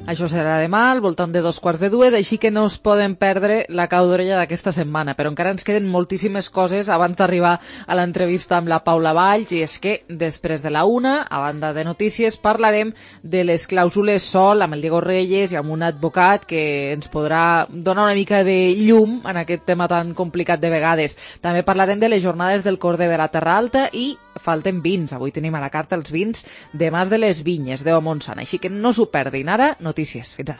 Això serà demà, al voltant de 2:15, així que no es poden perdre la Cau d'Orella d'aquesta setmana. Però encara ens queden moltíssimes coses abans d'arribar a l'entrevista amb la Paula Valls, i és que després de la 1, a banda de notícies, parlarem de les clàusules SOL amb el Diego Reyes i amb un advocat que ens podrà donar una mica de llum en aquest tema tan complicat de vegades. També parlarem de les jornades del Corder de la Terra Alta i falten vins. Avui tenim a la carta els vins de Mas de les Vinyes, de Montsant, així que no s'ho perdin. Ara, notícies. Fins ara.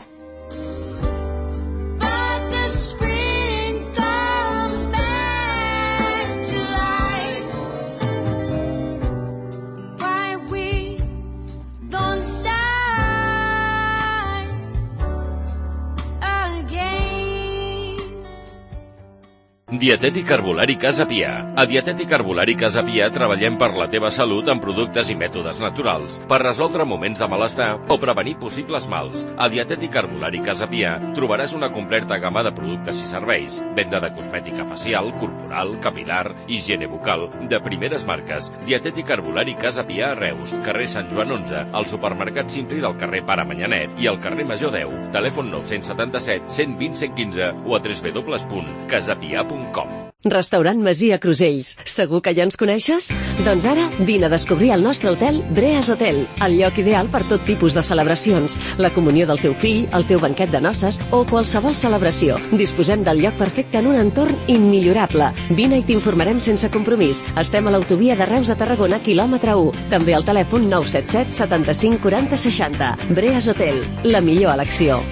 Dietètic Herbolari Casa Pia. A Dietètic Herbolari Casa Pia treballem per la teva salut amb productes i mètodes naturals, per resoldre moments de malestar o prevenir possibles mals. A Dietètic Herbolari Casa Pia trobaràs una completa gamma de productes i serveis, venda de cosmètica facial, corporal, capilar, higiene bucal, de primeres marques. Dietètic Herbolari Casa Pia a Reus, carrer Sant Joan 11, al supermercat Simpli del carrer Pare Manyanet i al carrer Major 10, telèfon 977 120 115 o a www.casapia.com. Restaurant Masia Crusells. Segur que ja ens coneixes? Doncs ara vine a descobrir el nostre hotel Breas Hotel, el lloc ideal per tot tipus de celebracions, la comunió del teu fill, el teu banquet de noces o qualsevol celebració. Disposem del lloc perfecte en un entorn immillorable. Vine i t'informarem sense compromís. Estem a l'autovia de Reus a Tarragona, quilòmetre 1. També al telèfon 977 75 40 60. Breas Hotel, la millor elecció.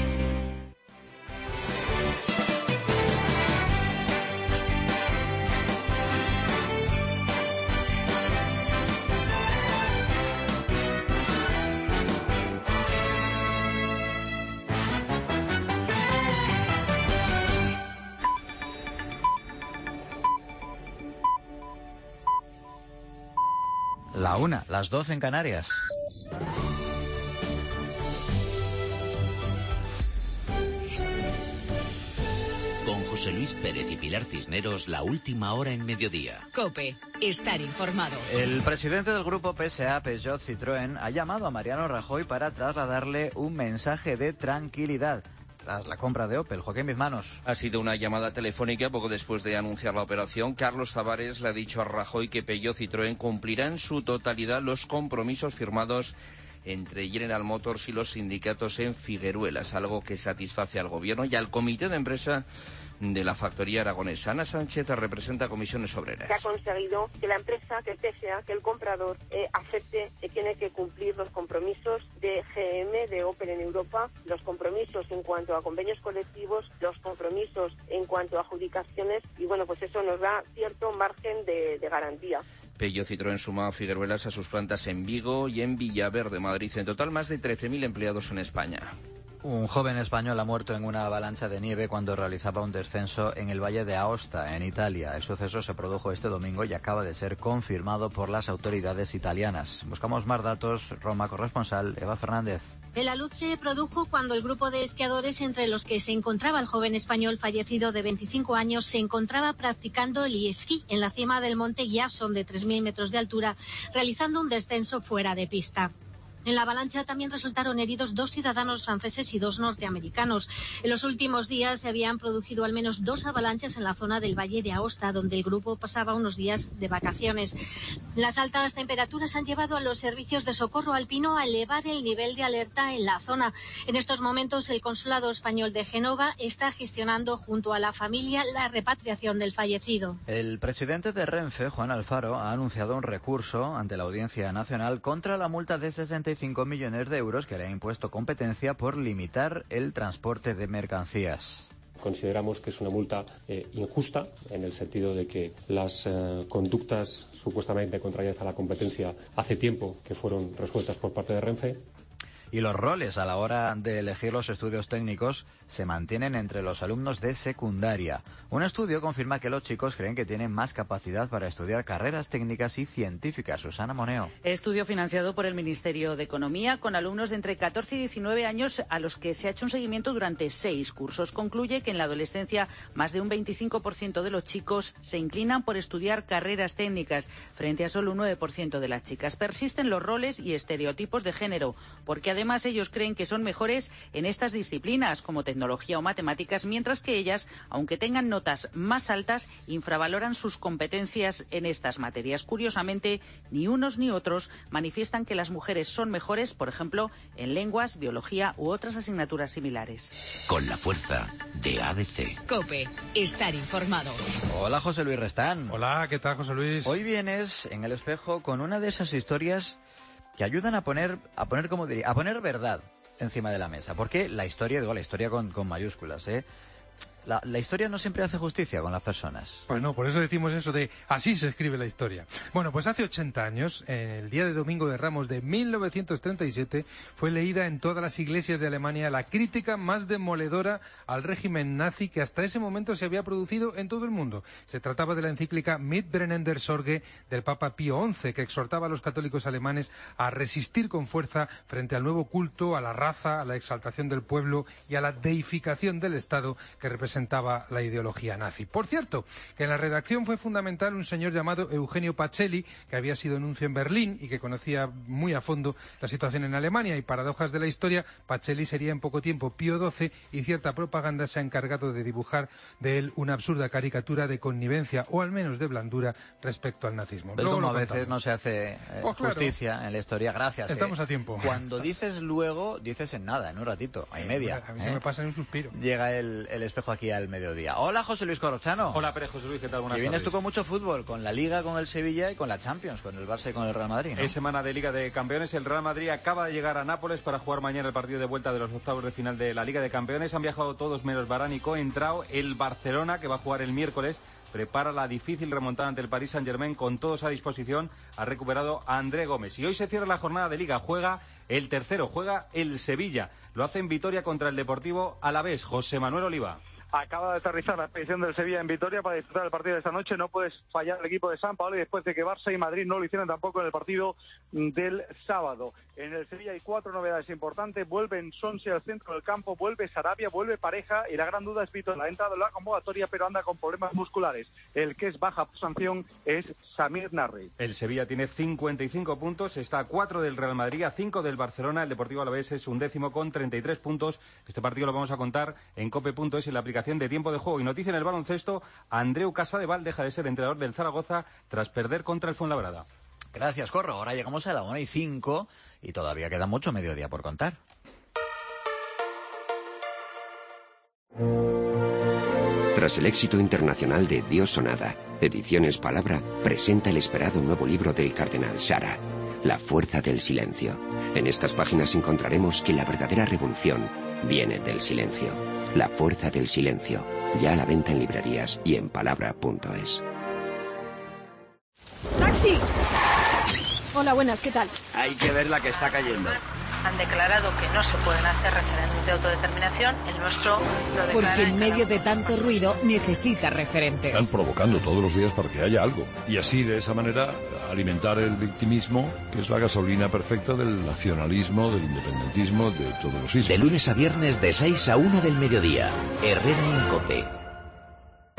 La 1, las 12 en Canarias. Con José Luis Pérez y Pilar Cisneros, la última hora en mediodía. COPE, estar informado. El presidente del grupo PSA, Peugeot Citroën, ha llamado a Mariano Rajoy para trasladarle un mensaje de tranquilidad tras la compra de Opel. Joaquín Bizmanos. Ha sido una llamada telefónica poco después de anunciar la operación. Carlos Tavares le ha dicho a Rajoy que Peugeot Citroën cumplirá en su totalidad los compromisos firmados entre General Motors y los sindicatos en Figueruelas, es algo que satisface al Gobierno y al Comité de Empresa de la factoría aragonesa. Ana Sánchez representa a Comisiones Obreras. Se ha conseguido que la empresa, que el PSA, que el comprador acepte que tiene que cumplir los compromisos de GM, de Opel en Europa, los compromisos en cuanto a convenios colectivos, los compromisos en cuanto a adjudicaciones y bueno, pues eso nos da cierto margen de garantía. Peugeot Citroën suma a Figueruelas a sus plantas en Vigo y en Villaverde, Madrid. En total, más de 13.000 empleados en España. Un joven español ha muerto en una avalancha de nieve cuando realizaba un descenso en el Valle de Aosta, en Italia. El suceso se produjo este domingo y acaba de ser confirmado por las autoridades italianas. Buscamos más datos. Roma, corresponsal Eva Fernández. El alud se produjo cuando el grupo de esquiadores, entre los que se encontraba el joven español fallecido de 25 años, se encontraba practicando el esquí en la cima del monte Ghiasson de 3.000 metros de altura, realizando un descenso fuera de pista. En la avalancha también resultaron heridos 2 ciudadanos franceses y 2 norteamericanos. En los últimos días se habían producido al menos 2 avalanchas en la zona del Valle de Aosta, donde el grupo pasaba unos días de vacaciones. Las altas temperaturas han llevado a los servicios de socorro alpino a elevar el nivel de alerta en la zona. En estos momentos, el Consulado Español de Génova está gestionando junto a la familia la repatriación del fallecido. El presidente de Renfe, Juan Alfaro, ha anunciado un recurso ante la Audiencia Nacional contra la multa de 65 millones de euros que le ha impuesto Competencia por limitar el transporte de mercancías. Consideramos que es una multa injusta, en el sentido de que las conductas supuestamente contrarias a la competencia hace tiempo que fueron resueltas por parte de Renfe. Y los roles a la hora de elegir los estudios técnicos se mantienen entre los alumnos de secundaria. Un estudio confirma que los chicos creen que tienen más capacidad para estudiar carreras técnicas y científicas. Susana Moneo. Estudio financiado por el Ministerio de Economía con alumnos de entre 14 y 19 años a los que se ha hecho un seguimiento durante 6 cursos. Concluye que en la adolescencia más de un 25% de los chicos se inclinan por estudiar carreras técnicas frente a solo un 9% de las chicas. Persisten los roles y estereotipos de género, porque además ellos creen que son mejores en estas disciplinas como tecnología o matemáticas, mientras que ellas, aunque tengan notas más altas, infravaloran sus competencias en estas materias. Curiosamente, ni unos ni otros manifiestan que las mujeres son mejores, por ejemplo, en lenguas, biología u otras asignaturas similares. Con la fuerza de ABC. COPE, estar informado. Hola, José Luis Restán. Hola, ¿qué tal, José Luis? Hoy vienes en El Espejo con una de esas historias que ayudan a poner verdad encima de la mesa. Porque la historia con mayúsculas, La historia no siempre hace justicia con las personas. Pues no, por eso decimos eso de así se escribe la historia. Bueno, pues hace 80 años, en el día de Domingo de Ramos de 1937, fue leída en todas las iglesias de Alemania la crítica más demoledora al régimen nazi que hasta ese momento se había producido en todo el mundo. Se trataba de la encíclica Mitbrennender Sorge del Papa Pío XI, que exhortaba a los católicos alemanes a resistir con fuerza frente al nuevo culto a la raza, a la exaltación del pueblo y a la deificación del Estado que representa representaba la ideología nazi. Por cierto, que en la redacción fue fundamental un señor llamado Eugenio Pacelli, que había sido nuncio en Berlín y que conocía muy a fondo la situación en Alemania, y paradojas de la historia, Pacelli sería en poco tiempo Pío XII y cierta propaganda se ha encargado de dibujar de él una absurda caricatura de connivencia o al menos de blandura respecto al nazismo. Pero como a veces no se hace justicia en la historia, gracias. Estamos a tiempo. Cuando dices luego, dices en nada, en un ratito, a y media. A mí se me pasa en un suspiro. Llega el espejo aquí al mediodía. Hola, José Luis Corrochano. Hola, Pérez José Luis, ¿qué tal? Buenas tardes. Vienes tú con mucho fútbol, con la Liga, con el Sevilla y con la Champions, con el Barça y con el Real Madrid, ¿no? Es semana de Liga de Campeones. El Real Madrid acaba de llegar a Nápoles para jugar mañana el partido de vuelta de los octavos de final de la Liga de Campeones. Han viajado todos menos Varane y Coentrao. El Barcelona, que va a jugar el miércoles, prepara la difícil remontada ante el Paris Saint-Germain con todos a disposición. Ha recuperado a André Gómez. Y hoy se cierra la jornada de Liga. Juega el tercero, juega el Sevilla. Lo hace en Vitoria contra el Deportivo Alavés. José Manuel Oliva. Acaba de aterrizar la expedición del Sevilla en Vitoria para disfrutar el partido de esta noche. No puedes fallar el equipo de San Paolo, y después de que Barça y Madrid no lo hicieron tampoco en el partido del sábado. En el Sevilla hay 4 novedades importantes. Vuelve Nsonsi al centro del campo, vuelve Sarabia, vuelve Pareja, y la gran duda es Vitor. Ha entrado en la convocatoria, pero anda con problemas musculares. El que es baja por sanción es Samir Nasri. El Sevilla tiene 55 puntos, está a 4 del Real Madrid, a 5 del Barcelona. El Deportivo Alavés es 11º con 33 puntos. Este partido lo vamos a contar en cope.es en la aplicación de tiempo de juego. Y noticia en el baloncesto: Andreu Casadeval deja de ser entrenador del Zaragoza tras perder contra el Fuenlabrada. Gracias, Corro. Ahora llegamos a la 1:05 y todavía queda mucho mediodía por contar. Tras el éxito internacional de Dios o nada, Ediciones Palabra presenta el esperado nuevo libro del cardenal Sara, La fuerza del silencio. En estas páginas encontraremos que la verdadera revolución viene del silencio. La fuerza del silencio, ya a la venta en librerías y en palabra.es. ¡Taxi! Hola, buenas, ¿qué tal? Hay que ver la que está cayendo. Han declarado que no se pueden hacer referéndums de autodeterminación. El nuestro lo declara. Porque en medio de tanto ruido necesita referentes. Están provocando todos los días para que haya algo. Y así, de esa manera, alimentar el victimismo, que es la gasolina perfecta del nacionalismo, del independentismo, de todos los ismos. De lunes a viernes de 6 a 1 del mediodía. Herrera en COPE.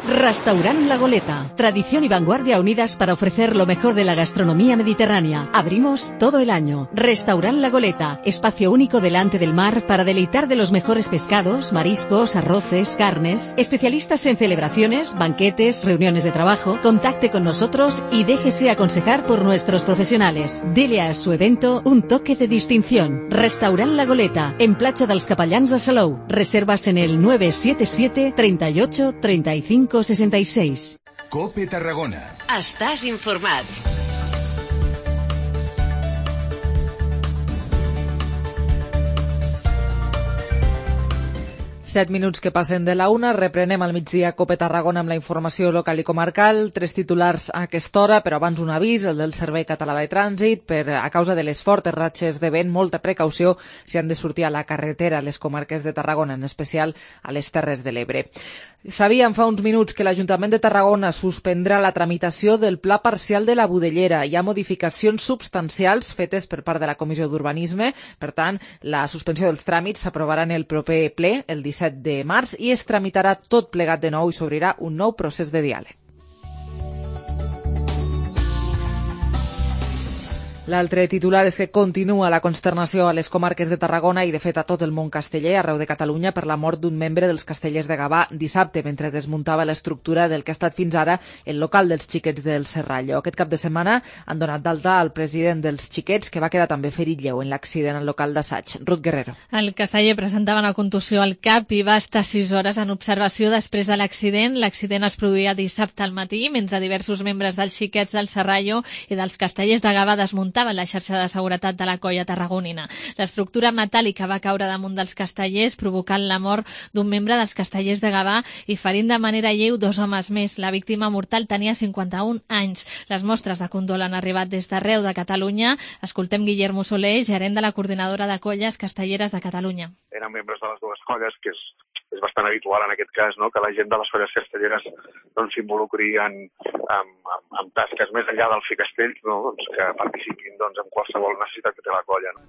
Restaurant La Goleta. Tradición y vanguardia unidas para ofrecer lo mejor de la gastronomía mediterránea. Abrimos todo el año. Restaurant La Goleta. Espacio único delante del mar para deleitar de los mejores pescados, mariscos, arroces, carnes. Especialistas en celebraciones, banquetes, reuniones de trabajo. Contacte con nosotros y déjese aconsejar por nuestros profesionales. Dele a su evento un toque de distinción. Restaurant La Goleta. En Platja dels Capellans de Salou. Reservas en el 977 38 35 66. COPE Tarragona. Estàs informat. Set minuts que passen de la una, reprenem al migdia COPE Tarragona amb la informació local i comarcal, 3 titulars a aquesta hora, però abans un avís, el del Servei Català de Trànsit, a causa de les fortes ratxes de vent, molta precaució si han de sortir a la carretera a les comarques de Tarragona, en especial a les Terres de l'Ebre. Sabíem fa uns minuts que l'Ajuntament de Tarragona suspendrà la tramitació del Pla Parcial de la Budellera. Hi ha modificacions substancials fetes per part de la Comissió d'Urbanisme, per tant, la suspensió dels tràmits s'aprovarà en el proper ple, el 17 de març, i es tramitarà tot plegat de nou i s'obrirà un nou procés de diàleg. L'altre titular és que continua la consternació a les comarques de Tarragona i, de fet, a tot el món casteller, arreu de Catalunya, per la mort d'un membre dels Castellers de Gavà dissabte, mentre desmuntava l'estructura del que ha estat fins ara el local dels Xiquets del Serrallo. Aquest cap de setmana han donat d'alta al president dels Xiquets, que va quedar també ferit lleu en l'accident al local d'assaig. Ruth Guerrero. El casteller presentava una contusió al cap i va estar 6 hores en observació després de l'accident. L'accident es produïa dissabte al matí, mentre diversos membres dels Xiquets del Serrallo i dels Castellers de Gavà desmuntaven la xarxa de seguretat de la colla tarragonina. L'estructura metàl·lica va caure damunt dels castellers, provocant la mort d'un membre dels Castellers de Gavà i ferint de manera lleu 2 homes més. La víctima mortal tenia 51 anys. Les mostres de condol han arribat des d'arreu de Catalunya. Escoltem Guillermo Soler, gerent de la coordinadora de colles castelleres de Catalunya. Eren membres de les dues colles, que és bastant habitual en aquest cas, no? Que la gent de les colles castelleres doncs, s'involucri en tasques més enllà del fi castell, no? Doncs, que participin doncs, en qualsevol necessitat que té la colla. No?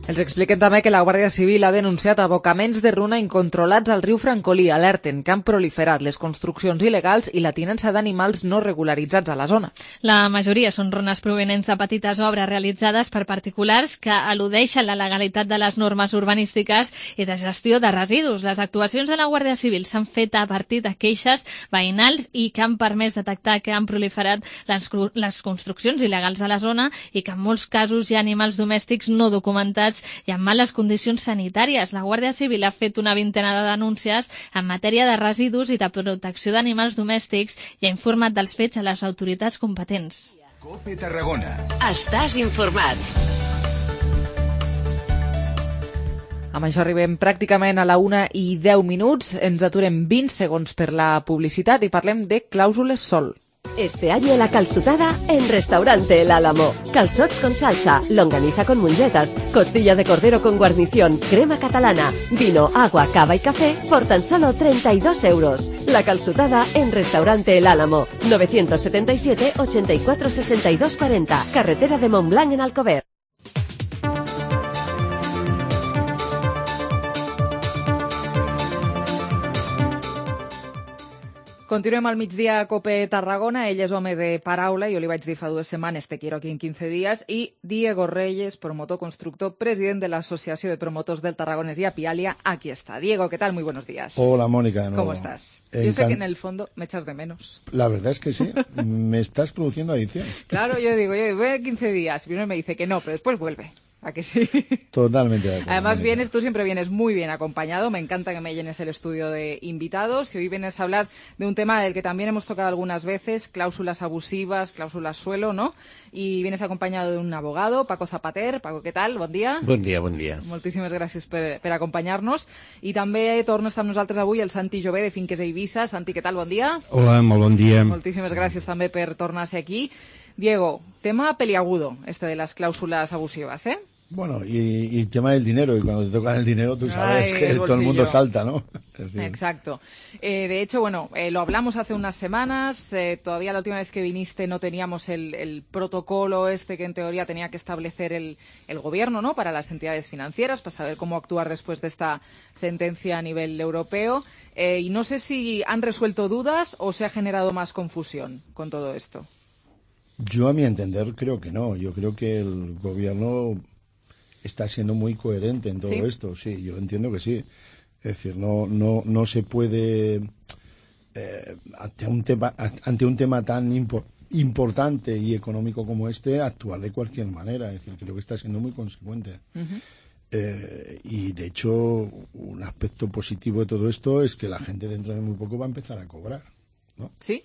Els expliquem també que la Guàrdia Civil ha denunciat abocaments de runa incontrolats al riu Francolí. Alerten que han proliferat les construccions il·legals i la tinença d'animals no regularitzats a la zona. La majoria són runes provenents de petites obres realitzades per particulars que al·ludeixen la legalitat de les normes urbanístiques i de gestió de residus. Les actuacions de la Guàrdia Civil s'han fet a partir de queixes veïnals i que han permès detectar que han proliferat les construccions il·legals a la zona i que en molts casos hi ha animals domèstics no documentats i en males condicions sanitàries. La Guàrdia Civil ha fet una vintena de denúncies en matèria de residus i de protecció d'animals domèstics i ha informat dels fets a les autoritats competents. COPE Tarragona. Estàs informat. Amb això arribem pràcticament a la 1:10. Ens aturem 20 segons per la publicitat i parlem de clàusules sol. Este año la calçotada en Restaurante El Álamo. Calzots con salsa, longaniza con mungetas, costilla de cordero con guarnición, crema catalana, vino, agua, cava y café por tan solo 32 euros. La calçotada en Restaurante El Álamo. 977 84 62 40. Carretera de Montblanc en Alcover. Continuem al migdia a COPE Tarragona. Ell és home de paraula, jo li vaig dir fa 2 setmanes, te quiero aquí en 15 días, i Diego Reyes, promotor constructor, president de la Asociación de Promotores del Tarragonés y Apialia, aquí está. Diego, ¿qué tal? Muy buenos días. Hola, Mónica. ¿Cómo estás? Yo sé que en el fondo me echas de menos. La verdad es que sí, me estás produciendo adicción. Claro, yo digo, voy a 15 días, y uno me dice que no, pero después vuelve. ¿A que sí? Totalmente de acuerdo. Además tú siempre vienes muy bien acompañado, me encanta que me llenes el estudio de invitados y hoy vienes a hablar de un tema del que también hemos tocado algunas veces, cláusulas abusivas, cláusulas suelo, ¿no? Y vienes acompañado de un abogado, Paco Zapater. Paco, ¿qué tal? Bon dia. Bon dia, bon dia. Moltíssimes gràcies per acompanyar-nos. I també torna a estar amb nosaltres avui el Santi Jové de Finques Eivissa. Santi, què tal? Bon dia. Hola, molt bon dia. Moltíssimes gràcies també per tornar a ser aquí. Diego, tema peliagudo, de las cláusulas abusivas, ¿eh? Bueno, y el tema del dinero, y cuando te tocan el dinero tú sabes que todo el mundo salta, ¿no? Exacto. De hecho, lo hablamos hace unas semanas, todavía la última vez que viniste no teníamos el protocolo que en teoría tenía que establecer el gobierno, ¿no?, para las entidades financieras, para saber cómo actuar después de esta sentencia a nivel europeo. Y no sé si han resuelto dudas o se ha generado más confusión con todo esto. Yo, a mi entender, creo que no. Yo creo que el gobierno está siendo muy coherente en todo esto. Sí, yo entiendo que sí. Es decir, no se puede, ante un tema tan importante y económico como este, actuar de cualquier manera. Es decir, creo que está siendo muy consecuente. Y, de hecho, un aspecto positivo de todo esto es que la gente dentro de muy poco va a empezar a cobrar, ¿no? Sí.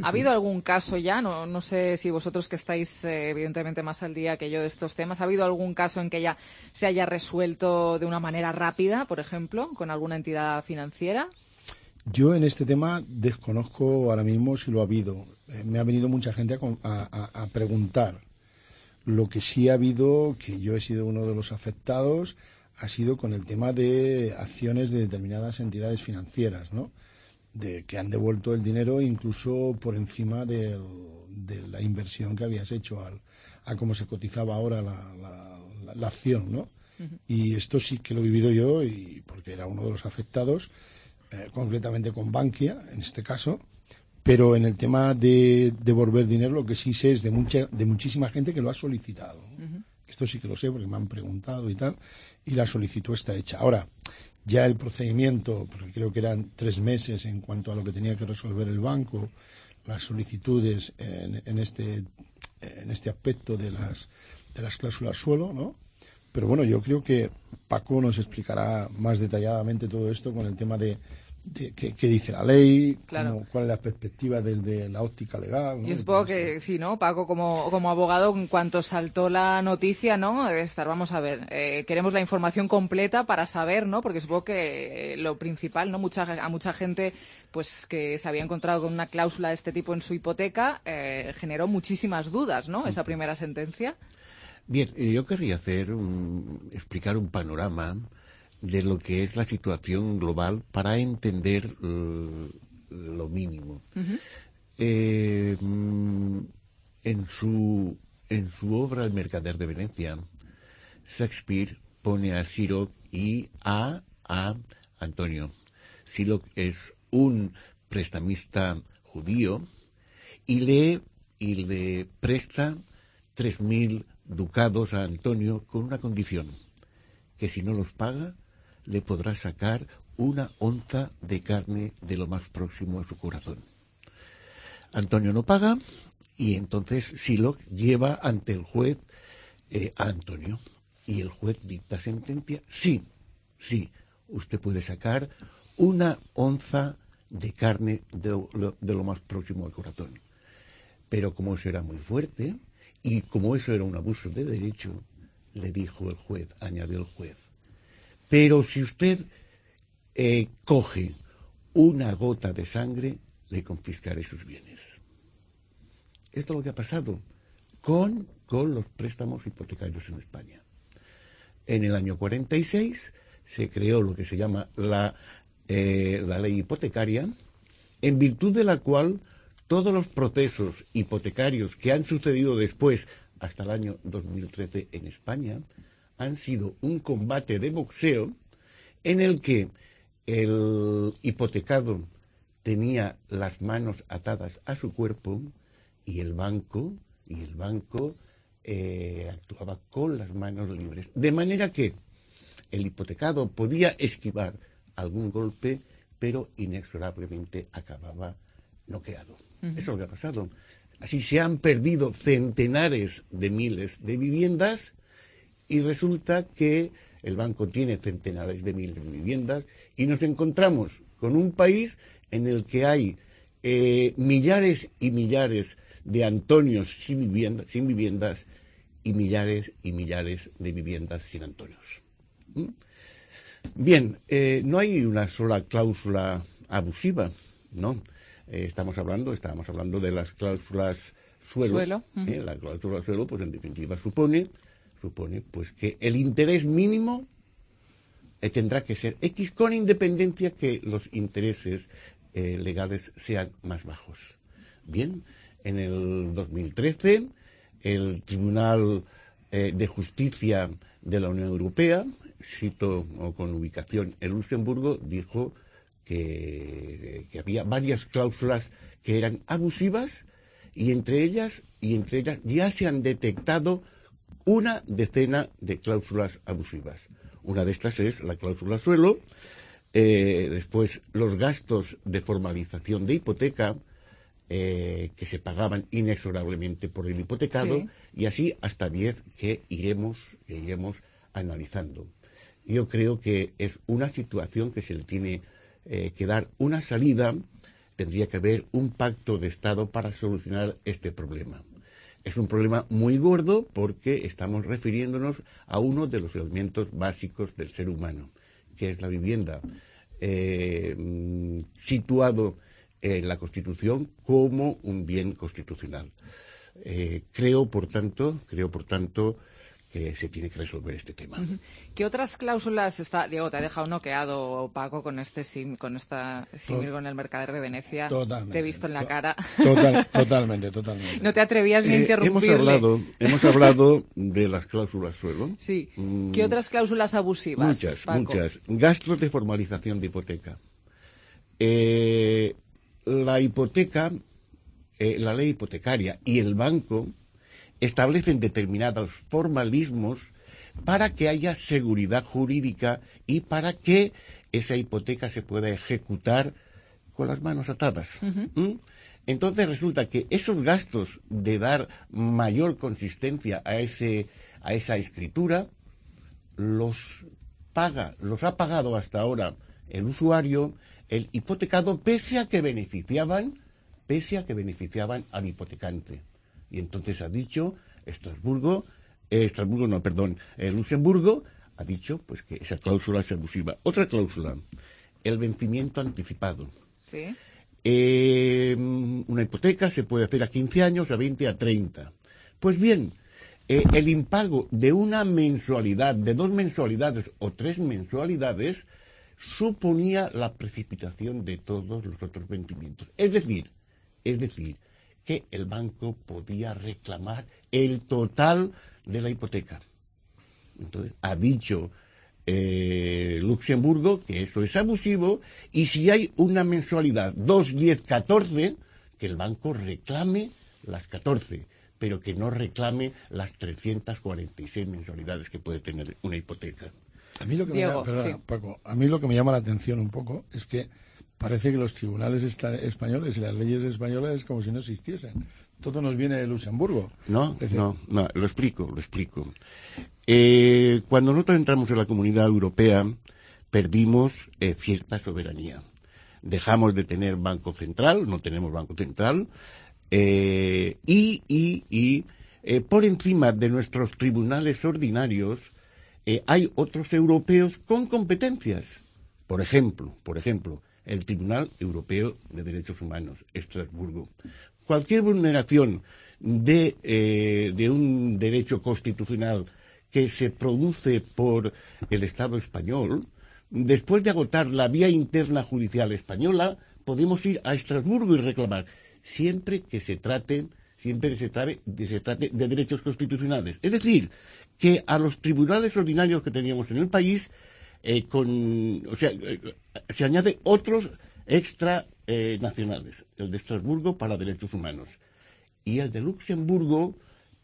¿Ha habido algún caso ya? No sé si vosotros que estáis evidentemente más al día que yo de estos temas, ¿ha habido algún caso en que ya se haya resuelto de una manera rápida, por ejemplo, con alguna entidad financiera? Yo en este tema desconozco ahora mismo si lo ha habido. Me ha venido mucha gente a preguntar. Lo que sí ha habido, que yo he sido uno de los afectados, ha sido con el tema de acciones de determinadas entidades financieras, ¿no?, de que han devuelto el dinero incluso por encima de la inversión que habías hecho a cómo se cotizaba ahora la acción, ¿no? Y esto sí que lo he vivido yo, y porque era uno de los afectados, concretamente con Bankia, en este caso. Pero en el tema de devolver dinero, lo que sí sé es de muchísima gente que lo ha solicitado. Esto sí que lo sé porque me han preguntado y tal, y la solicitud está hecha. Ahora, ya el procedimiento, porque creo que eran 3 meses en cuanto a lo que tenía que resolver el banco, las solicitudes en este aspecto de las cláusulas suelo, ¿no? Pero bueno, yo creo que Paco nos explicará más detalladamente todo esto con el tema de qué dice la ley, claro, cuál es la perspectiva desde la óptica legal, ¿no? Yo supongo que sí, ¿no? Paco, como abogado, en cuanto saltó la noticia, ¿no?, vamos a ver, queremos la información completa para saber, ¿no?, porque supongo que lo principal, ¿no?, a mucha gente pues que se había encontrado con una cláusula de este tipo en su hipoteca, generó muchísimas dudas, ¿no?, esa primera sentencia. Bien, yo querría explicar un panorama de lo que es la situación global para entender lo mínimo. En su obra El mercader de Venecia, Shakespeare pone a Sylock y a Antonio. Sylock es un prestamista judío y le presta 3.000 ducados a Antonio con una condición, que si no los paga le podrá sacar una onza de carne de lo más próximo a su corazón. Antonio no paga y entonces Sylock lleva ante el juez a Antonio y el juez dicta sentencia. Sí, usted puede sacar una onza de carne de lo más próximo al corazón. Pero como eso era muy fuerte y como eso era un abuso de derecho, le dijo el juez, añadió el juez, pero si usted coge una gota de sangre, le confiscaré sus bienes. Esto es lo que ha pasado con los préstamos hipotecarios en España. En el año 46 se creó lo que se llama la ley hipotecaria, en virtud de la cual todos los procesos hipotecarios que han sucedido después, hasta el año 2013 en España, han sido un combate de boxeo en el que el hipotecado tenía las manos atadas a su cuerpo y el banco actuaba con las manos libres. De manera que el hipotecado podía esquivar algún golpe, pero inexorablemente acababa noqueado. Eso es lo que ha pasado. Así se han perdido centenares de miles de viviendas y resulta que el banco tiene centenares de miles de viviendas y nos encontramos con un país en el que hay millares y millares de Antonios sin viviendas y millares de viviendas sin Antonios. Bien, no hay una sola cláusula abusiva, ¿no? Estábamos hablando de las cláusulas suelo. La cláusula suelo, pues en definitiva supone pues que el interés mínimo tendrá que ser X, con independencia que los intereses legales sean más bajos. Bien, en el 2013 el Tribunal de Justicia de la Unión Europea, cito con ubicación en Luxemburgo, dijo que había varias cláusulas que eran abusivas y entre ellas ya se han detectado una decena de cláusulas abusivas. Una de estas es la cláusula suelo, después los gastos de formalización de hipoteca que se pagaban inexorablemente por el hipotecado, y así hasta 10 que iremos analizando. Yo creo que es una situación que se le tiene que dar una salida. Tendría que haber un pacto de Estado para solucionar este problema. Es un problema muy gordo porque estamos refiriéndonos a uno de los elementos básicos del ser humano, que es la vivienda, situado en la Constitución como un bien constitucional. Creo, por tanto, que se tiene que resolver este tema. ¿Qué otras cláusulas Diego, te ha dejado noqueado, Paco, con esta símil con el Mercader de Venecia? Totalmente. Te he visto en la cara. Totalmente. No te atrevías ni a interrumpirle. Hemos hablado de las cláusulas suelo. Sí. ¿Qué otras cláusulas abusivas, Paco? Muchas. Gastos de formalización de hipoteca. La hipoteca, la ley hipotecaria y el banco establecen determinados formalismos para que haya seguridad jurídica y para que esa hipoteca se pueda ejecutar con las manos atadas. Entonces resulta que esos gastos de dar mayor consistencia a esa escritura los ha pagado hasta ahora el usuario, el hipotecado, pese a que beneficiaban al hipotecante. Y entonces ha dicho Luxemburgo ha dicho pues que esa cláusula es abusiva. Otra cláusula, el vencimiento anticipado. Sí. Una hipoteca se puede hacer a 15 años, a 20, a 30. Pues bien, el impago de una mensualidad, de 2 mensualidades o 3 mensualidades suponía la precipitación de todos los otros vencimientos. Es decir, que el banco podía reclamar el total de la hipoteca. Entonces, ha dicho Luxemburgo que eso es abusivo, y si hay una mensualidad 2, 10, 14, que el banco reclame las 14, pero que no reclame las 346 mensualidades que puede tener una hipoteca. A mí lo que Diego, Paco, a mí lo que me llama la atención un poco es que parece que los tribunales españoles y las leyes españolas es como si no existiesen. Todo nos viene de Luxemburgo. No, lo explico. Cuando nosotros entramos en la Comunidad Europea, perdimos cierta soberanía. Dejamos de tener Banco Central, no tenemos Banco Central, y por encima de nuestros tribunales ordinarios hay otros europeos con competencias. Por ejemplo, el Tribunal Europeo de Derechos Humanos, Estrasburgo. Cualquier vulneración de un derecho constitucional que se produce por el Estado español, después de agotar la vía interna judicial española, podemos ir a Estrasburgo y reclamar, siempre que se trate de derechos constitucionales. Es decir, que a los tribunales ordinarios que teníamos en el país, se añaden otros extra nacionales, el de Estrasburgo para derechos humanos y el de Luxemburgo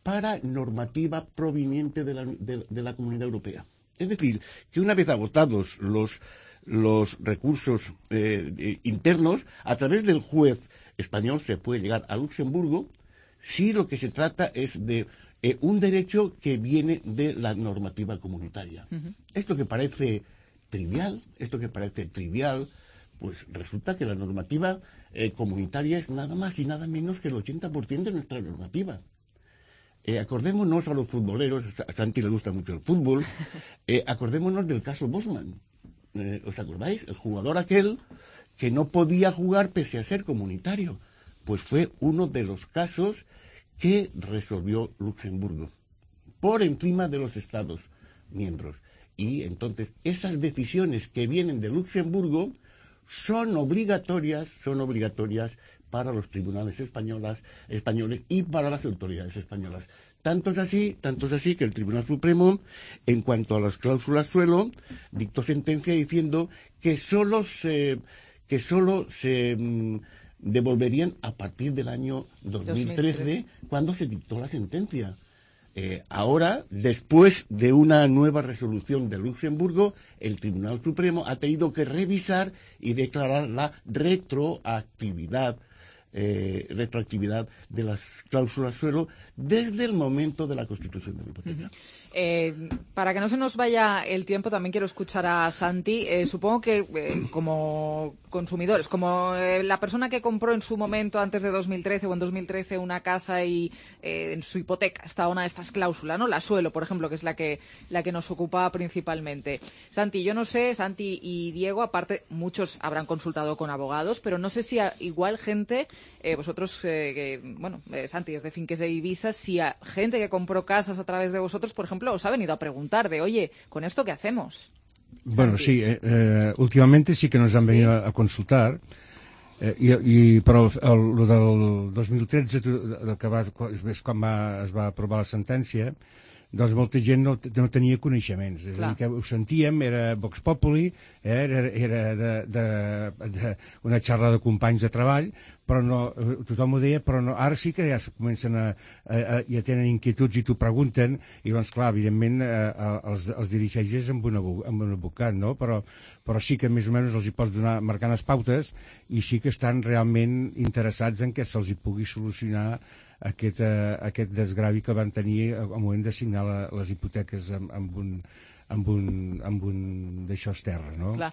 para normativa proveniente de la Comunidad Europea. Es decir, que una vez agotados los recursos internos, a través del juez español se puede llegar a Luxemburgo si lo que se trata es de un derecho que viene de la normativa comunitaria. Esto que parece trivial, pues resulta que la normativa comunitaria es nada más y nada menos que el 80% de nuestra normativa. Acordémonos a los futboleros, a Santi le gusta mucho el fútbol, acordémonos del caso Bosman. ¿Os acordáis? El jugador aquel que no podía jugar pese a ser comunitario. Pues fue uno de los casos que resolvió Luxemburgo, por encima de los Estados miembros. Y entonces esas decisiones que vienen de Luxemburgo son obligatorias para los tribunales españoles y para las autoridades españolas. Tanto es así que el Tribunal Supremo, en cuanto a las cláusulas suelo, dictó sentencia diciendo que solo se devolverían a partir del año 2013, cuando se dictó la sentencia. Ahora, después de una nueva resolución de Luxemburgo, el Tribunal Supremo ha tenido que revisar y declarar la retroactividad de las cláusulas suelo desde el momento de la constitución de la hipoteca. Para que no se nos vaya el tiempo, también quiero escuchar a Santi. Supongo que como consumidores, como la persona que compró en su momento, antes de 2013 o en 2013, una casa y en su hipoteca está una de estas cláusulas, ¿no? La suelo, por ejemplo, que es la que nos ocupa principalmente. Santi, yo no sé, Santi y Diego, aparte, muchos habrán consultado con abogados, pero no sé si igual gente, vosotros, Santi es de Finques de Ibiza, si a gente que compró casas a través de vosotros, por ejemplo, os ha venido a preguntar de, oye, ¿con esto qué hacemos? Bueno, sí, últimamente sí que nos han venido a consultar, però el del 2013, que és quan es va aprovar la sentència, doncs molta gent no tenia coneixements. És a dir, que ho sentíem, era Vox Populi, era una xarra de companys de treball, però no, tothom ho deia, però no, ara sí que ja comencen ja tenen inquietuds i t'ho pregunten, i doncs clar, evidentment els dirigeixes amb un advocat, no? Però sí que més o menys els hi pots donar marcant les pautes i sí que estan realment interessats en que se'ls hi pugui solucionar aquest desgravi que van tenir al moment de signar les hipoteques amb un d'això terra, no? Clar,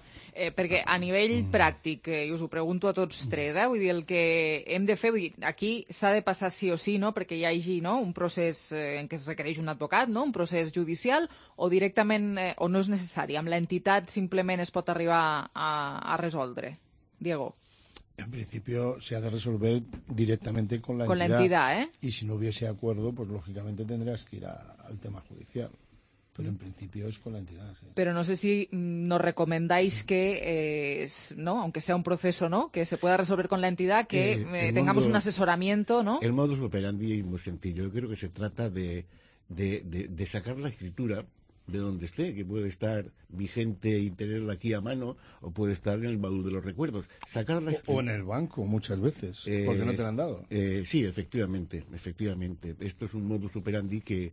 perquè a nivell pràctic, i us ho pregunto a tots tres, vull dir, el que hem de fer, aquí s'ha de passar sí o sí, no?, perquè hi hagi, no?, un procés en què es requereix un advocat, no?, un procés judicial, o directament, o no és necessari, amb l'entitat simplement es pot arribar a resoldre. Diego. En principio se ha de resolver directamente con la entidad. Con la entidad, Y si no hubiese acuerdo, pues lógicamente tendrías que ir al tema judicial. Pero en principio es con la entidad, sí. Pero no sé si nos recomendáis que, ¿no?, aunque sea un proceso, ¿no?, que se pueda resolver con la entidad, que tengamos un asesoramiento, ¿no? El modus operandi es muy sencillo. Yo creo que se trata de sacar la escritura de donde esté, que puede estar vigente y tenerla aquí a mano, o puede estar en el baúl de los recuerdos. Sacarla o en el banco muchas veces, porque no te la han dado. Sí, efectivamente. Esto es un modus operandi que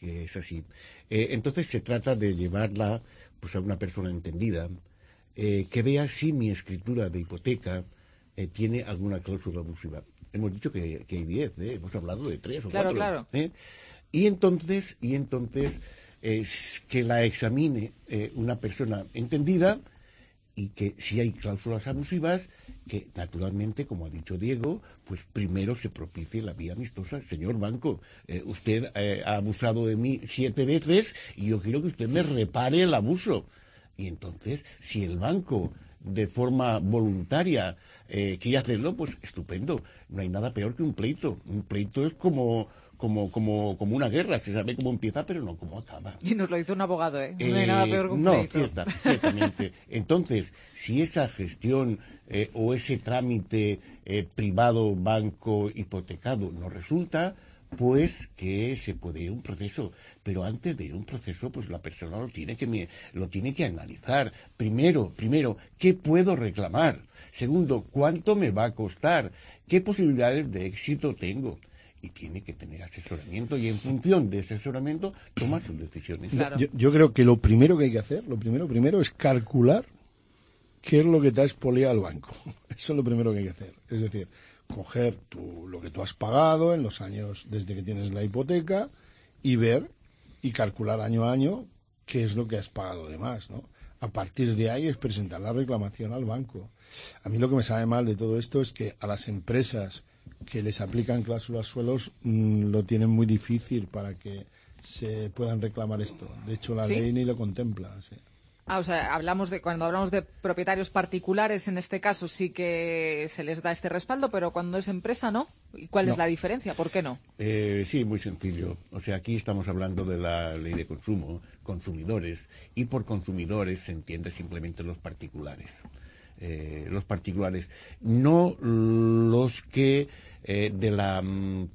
es así. Entonces se trata de llevarla pues a una persona entendida, que vea si mi escritura de hipoteca tiene alguna cláusula abusiva. Hemos dicho que hay 10, hemos hablado de 3 o 4. Claro. Y entonces que la examine una persona entendida, y que si hay cláusulas abusivas, que naturalmente, como ha dicho Diego, pues primero se propicie la vía amistosa. Señor banco, usted ha abusado de mí 7 veces y yo quiero que usted me repare el abuso. Y entonces, si el banco de forma voluntaria quiere hacerlo, pues estupendo. No hay nada peor que un pleito. Un pleito es como una guerra, se sabe cómo empieza pero no cómo acaba. Y nos lo dice un abogado, no hay nada peor que un pleito. No, ciertamente. Entonces, si esa gestión o ese trámite privado, banco, hipotecado no resulta, pues que se puede ir a un proceso. Pero antes de ir a un proceso, pues la persona lo tiene que analizar. Primero, ¿qué puedo reclamar? Segundo, ¿cuánto me va a costar? ¿Qué posibilidades de éxito tengo? Y tiene que tener asesoramiento, y en función de ese asesoramiento toma sus decisiones. Claro. Yo creo que lo primero que hay que hacer, primero es calcular qué es lo que te ha expoliado el banco. Eso es lo primero que hay que hacer. Es decir, coger lo que tú has pagado en los años desde que tienes la hipoteca y ver y calcular año a año qué es lo que has pagado de más, ¿no? A partir de ahí es presentar la reclamación al banco. A mí lo que me sabe mal de todo esto es que a las empresas que les aplican cláusulas suelos lo tienen muy difícil para que se puedan reclamar esto. De hecho, la ley ni lo contempla. Sí. O sea, cuando hablamos de propietarios particulares, en este caso sí que se les da este respaldo, pero cuando es empresa, ¿no? ¿Y cuál es la diferencia? ¿Por qué no? Sí, muy sencillo. O sea, aquí estamos hablando de la ley de consumo, consumidores, y por consumidores se entiende simplemente los particulares. No los que de la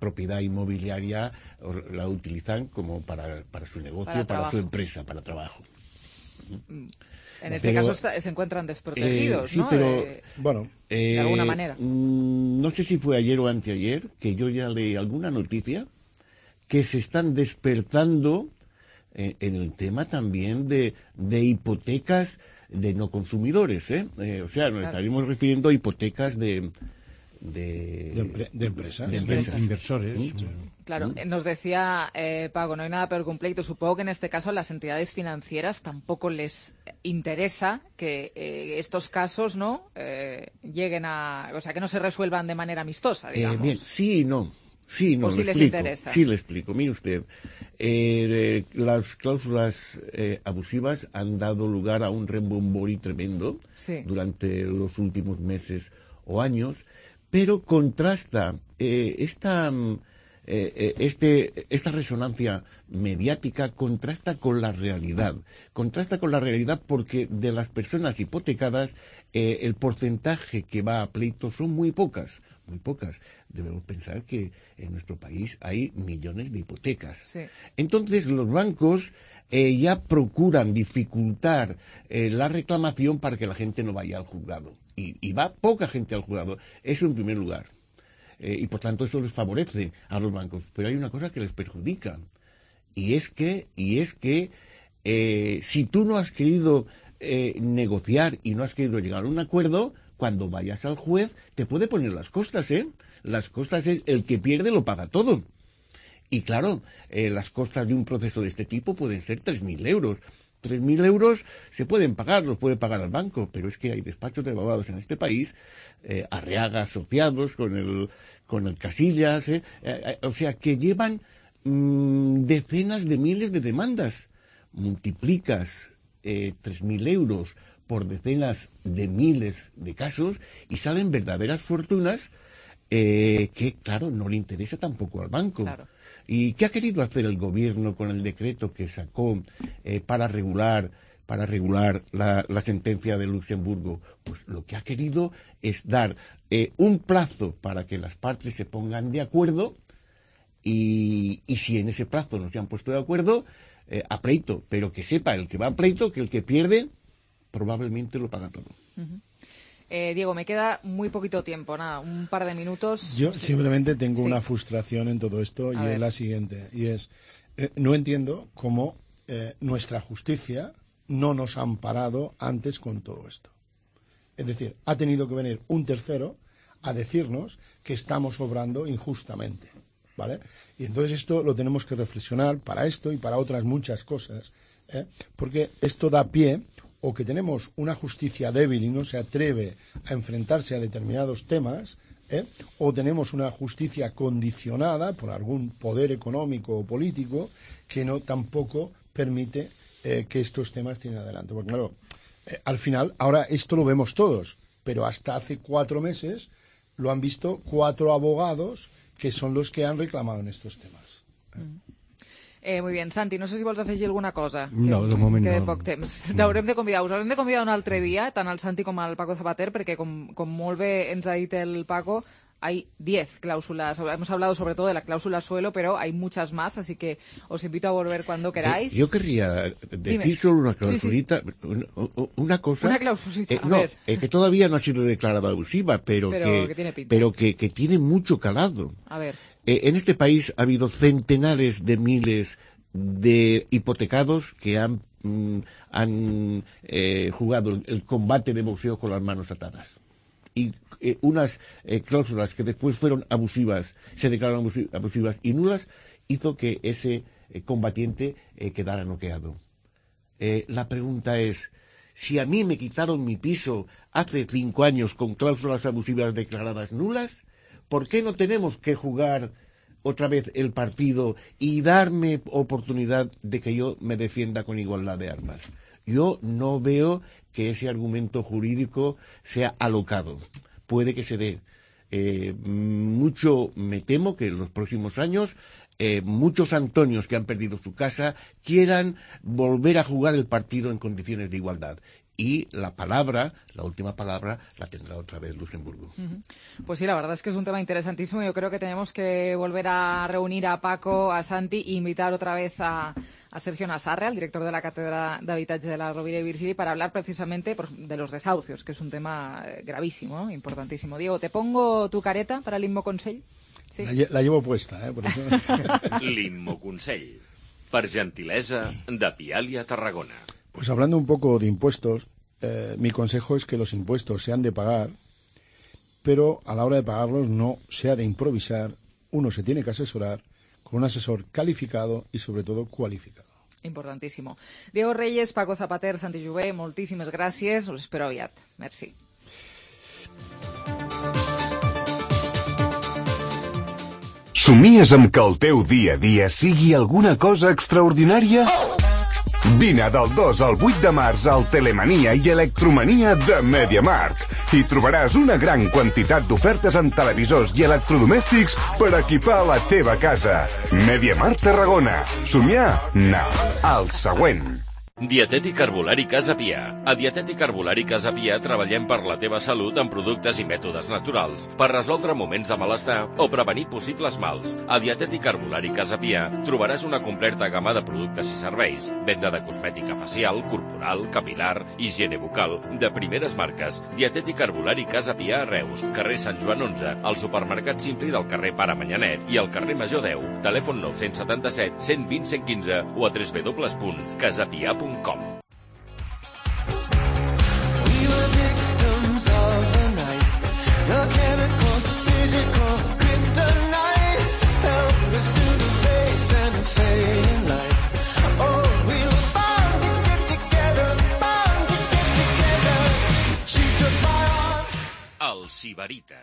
propiedad inmobiliaria la utilizan como para su negocio, para su empresa, para trabajo. En este caso se encuentran desprotegidos, sí, ¿no? Pero, de alguna manera. No sé si fue ayer o anteayer que yo ya leí alguna noticia que se están despertando en el tema también de hipotecas de no consumidores, o sea, nos estaríamos refiriendo a hipotecas de empresas. De empresas. Inversores. Claro, nos decía Paco, no hay nada peor que un pleito. Supongo que en este caso a las entidades financieras tampoco les interesa que estos casos no lleguen o sea, que no se resuelvan de manera amistosa, digamos. Bien, sí y no. Sí, no, o si les interesa. Sí, le explico. Mire usted, las cláusulas abusivas han dado lugar a un rembomborí tremendo durante los últimos meses o años, pero contrasta esta resonancia mediática contrasta con la realidad porque de las personas hipotecadas el porcentaje que va a pleito son muy pocas. Debemos pensar que en nuestro país hay millones de hipotecas. Sí. Entonces los bancos ya procuran dificultar la reclamación para que la gente no vaya al juzgado. Y va poca gente al juzgado. Eso en primer lugar. Y por tanto eso les favorece a los bancos. Pero hay una cosa que les perjudica. Y es que si tú no has querido negociar y no has querido llegar a un acuerdo, cuando vayas al juez te puede poner las costas, Las costas es el que pierde lo paga todo. Y claro, las costas de un proceso de este tipo pueden ser 3.000 euros. 3.000 euros se pueden pagar, los puede pagar al banco, pero es que hay despachos de abogados en este país, Arriaga asociados con el Casillas, o sea, que llevan decenas de miles de demandas. Multiplicas 3.000 euros por decenas de miles de casos y salen verdaderas fortunas que, claro, no le interesa tampoco al banco. Claro. ¿Y qué ha querido hacer el gobierno con el decreto que sacó para regular la sentencia de Luxemburgo? Pues lo que ha querido es dar un plazo para que las partes se pongan de acuerdo y si en ese plazo no se han puesto de acuerdo, a pleito, pero que sepa el que va a pleito que el que pierde probablemente lo paga todo. Diego, me queda muy poquito tiempo, un par de minutos. Yo simplemente tengo una frustración en todo esto y es la siguiente, y es, no entiendo cómo nuestra justicia no nos ha amparado antes con todo esto. Es decir, ha tenido que venir un tercero a decirnos que estamos obrando injustamente, ¿vale? Y entonces esto lo tenemos que reflexionar para esto y para otras muchas cosas, porque esto da pie o que tenemos una justicia débil y no se atreve a enfrentarse a determinados temas, o tenemos una justicia condicionada por algún poder económico o político que no tampoco permite que estos temas tiren adelante. Porque claro, al final, ahora esto lo vemos todos, pero hasta hace 4 meses lo han visto 4 abogados que son los que han reclamado en estos temas. Muy bien, Santi, no sé si vols afegir alguna cosa. No, de moment queda no. poc temps. T'haurem de convidar, us haurem de convidar un altre dia, tant el Santi com el Paco Zapater, perquè com molt bé ens ha dit el Paco, hay 10 cláusulas. Hemos hablado sobre todo de la cláusula suelo, pero hay muchas más, así que os invito a volver cuando queráis. Yo querría decir solo una klausulita, una cosa. Una klausulita, que todavía no ha sido declarada abusiva, pero que tiene pinta. Pero que tiene mucho calado. A ver. En este país ha habido centenares de miles de hipotecados que han jugado el combate de boxeo con las manos atadas. Y unas cláusulas que después fueron abusivas, se declararon abusivas y nulas, hizo que ese combatiente quedara noqueado. La pregunta es, si a mí me quitaron mi piso hace 5 años con cláusulas abusivas declaradas nulas, ¿por qué no tenemos que jugar otra vez el partido y darme oportunidad de que yo me defienda con igualdad de armas? Yo no veo que ese argumento jurídico sea alocado. Puede que se dé. Mucho me temo que en los próximos años muchos Antonios que han perdido su casa quieran volver a jugar el partido en condiciones de igualdad. Y la última palabra, la tendrá otra vez Luxemburgo. Pues sí, la verdad es que es un tema interesantísimo. Yo creo que tenemos que volver a reunir a Paco, a Santi e invitar otra vez a Sergio Nassarre, al director de la Cátedra de Habitatge de la Rovira i Virgili, para hablar precisamente de los desahucios, que es un tema gravísimo, ¿no? Importantísimo. Diego, ¿te pongo tu careta para l'Immo Consell? Sí. La llevo puesta, por eso. L'Immo Consell, per gentilesa de Pialia Tarragona. Pues hablando un poco de impuestos, mi consejo es que los impuestos se han de pagar, pero a la hora de pagarlos no se ha de improvisar. Uno se tiene que asesorar con un asesor calificado y sobre todo cualificado. Importantísimo. Diego Reyes, Paco Zapater, Santi Jové, moltíssimes gràcies. Us espero aviat. Merci. Somies amb que el teu dia a dia sigui alguna cosa extraordinària? Vine del 2 al 8 de març al Telemania i Electromania de MediaMarkt i trobaràs una gran quantitat d'ofertes en televisors i electrodomèstics per equipar la teva casa. MediaMarkt Tarragona. Somiar? No. El següent. Dietètic Herbolari Casa Pia. A Dietètic Herbolari Casa Pia treballem per la teva salut amb productes i mètodes naturals, per resoldre moments de malestar o prevenir possibles mals. A Dietètic Herbolari Casa Pia trobaràs una completa gamma de productes i serveis, venda de cosmètica facial, corporal, capilar, higiene bucal, de primeres marques. Dietètic Herbolari Casa Pia a Reus, carrer Sant Joan 11, al supermercat Simpli del carrer Pare Manyanet i al carrer Major 10, telèfon 977 120 115 o a www.casapia.com. We were victims of the night, the chemical, physical kryptonite, helpless to the base and the fading light. Oh, we were bound to get together, bound to get together. She took my arm. El Sibarita.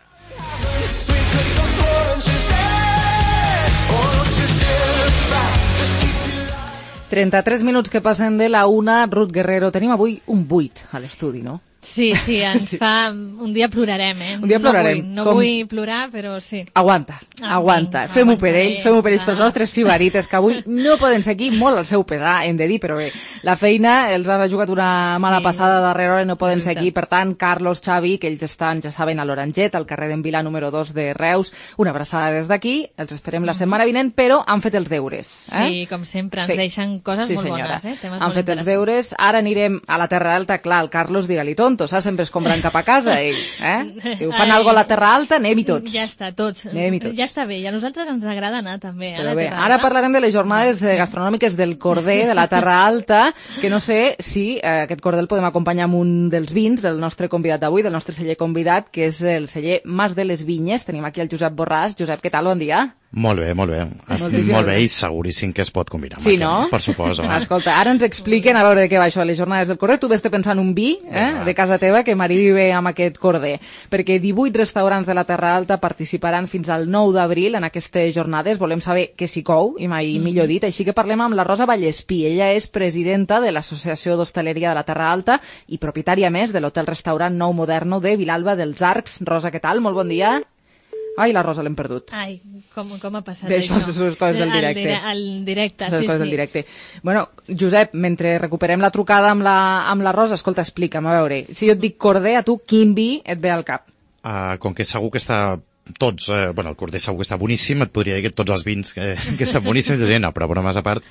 We took the floor and she said, oh, don't you dare back, just keep your eyes. 33 minuts que passen de la 1. Ruth Guerrero, tenim avui un 8 a l'estudi, no? Sí, ens fa... Un dia plorarem, eh? Un dia plorarem. No vull plorar, però sí. Aguanta. Fem-ho per ells, pels nostres sibarites, que avui no poden ser aquí, molt al seu pesar, hem de dir, però bé, la feina els ha jugat una mala passada darrere hora i no poden ser aquí. Per tant, Carlos, Xavi, que ells estan, ja saben, a l'Oranget, al carrer d'en Vila número 2 de Reus, una abraçada des d'aquí, els esperem la setmana vinent, però han fet els deures. Sí, com sempre, ens deixen coses molt bones, temes han fet els deures. Ara anirem a la Terra Alta, clar, el Carlos, digue-li tonto, saps? Sempre escombrant cap a casa, ell, Diu, fan alguna a la Terra Alta, anem-hi tots. Ja està, tots. Ja està bé, i a nosaltres ens agrada anar també a la Terra Alta. Ara parlarem de les jornades gastronòmiques del Corder, de la Terra Alta, que no sé si aquest Corder el podem acompanyar amb un dels vins del nostre convidat d'avui, del nostre celler convidat, que és el celler Mas de les Vinyes. Tenim aquí el Josep Borràs. Josep, què tal? Bon dia. Molt bé. Estic molt bé i seguríssim que es pot combinar. Sí, no? Per suposo. Escolta, ara ens expliquen a veure de què va això, les jornades del Corder. Tu ves pensant un vi de casa teva que m'arribi bé amb aquest Corder, perquè 18 restaurants de la Terra Alta participaran fins al 9 d'abril en aquestes jornades. Volem saber què s'hi cou, i mai millor dit, així que parlem amb la Rosa Vallespí. Ella és presidenta de l'Associació d'Hostaleria de la Terra Alta i propietària més de l'hotel-restaurant Nou Moderno de Vilalba dels Arcs. Rosa, què tal? Molt bon dia. Ai, la Rosa l'hem perdut. Ai, com ha passat això? Això són coses del directe. El directe, sí. Coses del directe. Bueno, Josep, mentre recuperem la trucada amb la Rosa, escolta, explica'm, a veure, si jo et dic Corder, a tu quin vi et ve al cap? Com que segur que està tots, el Corder segur que està boníssim, et podria dir que tots els vins que estan boníssims, no, però bromes a part,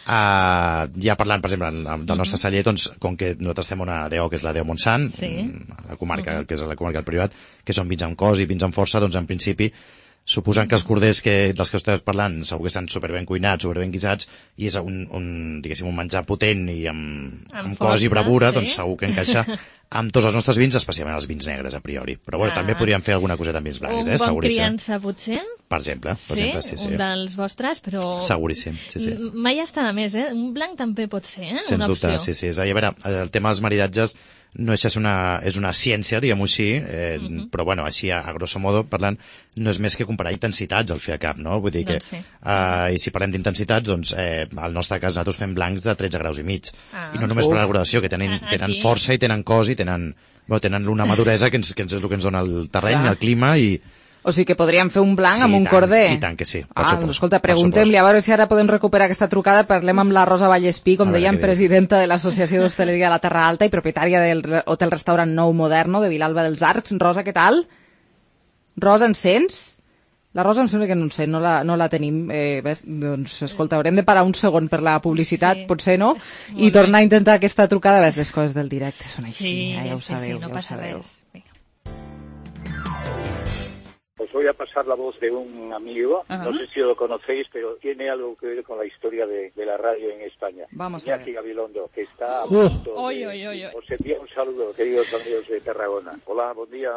ja parlant, per exemple, del nostre celler, doncs, com que nosaltres estem una DO, que és la DO Montsant, la comarca, que és la comarca del Priorat, que són vins amb cos i vins amb força, doncs en principi, suposant que els corders dels que esteu parlant segur que estan superben cuinats, superben guisats, i és diguéssim, un menjar potent i amb cos i bravura, doncs segur que encaixa amb tots els nostres vins, especialment els vins negres, a priori. Però bueno, també podríem fer alguna coseta amb vins blancs, seguríssim. Un bon criança, potser? Per exemple, sí. Un dels vostres, però... Seguríssim, sí. Mai està de més, Un blanc també pot ser, Sens dubte, sí. És a dir, a veure, el tema dels maridatges no és una ciència, diguem-ho així, però bueno, així a grosso modo parlant, no és més que comparar intensitats al fer a cap, no? Vull dir que, i si parlem d'intensitats, doncs, al nostre cas nosaltres fem blancs de 13 graus i mig. I no només per la graduació, que tenen força i tenen cos i tenen una maduresa que és el que ens dona el terreny, el clima i... O sigui que podríem fer un blanc amb un Corder. I tant que sí, escolta, preguntem-li, a veure si ara podem recuperar aquesta trucada. Parlem amb la Rosa Vallespí, com dèiem, presidenta de l'Associació d'Hostaleria de la Terra Alta i propietària del hotel-restaurant Nou Moderno de Vilalba dels Arcs. Rosa, què tal? Rosa, ens sents? La Rosa em sembla que no ens sent, no la tenim. Doncs, escolta, haurem de parar un segon per la publicitat, potser no? I tornar a intentar aquesta trucada. Ves, les coses del directe són així, ja ho sabeu. No passa res. Os voy a pasar la voz de un amigo, no sé si lo conocéis, pero tiene algo que ver con la historia de la radio en España. Vamos a ver. Iñaki Gabilondo, que está a punto Os envío un saludo, queridos amigos de Tarragona. Hola, buen día.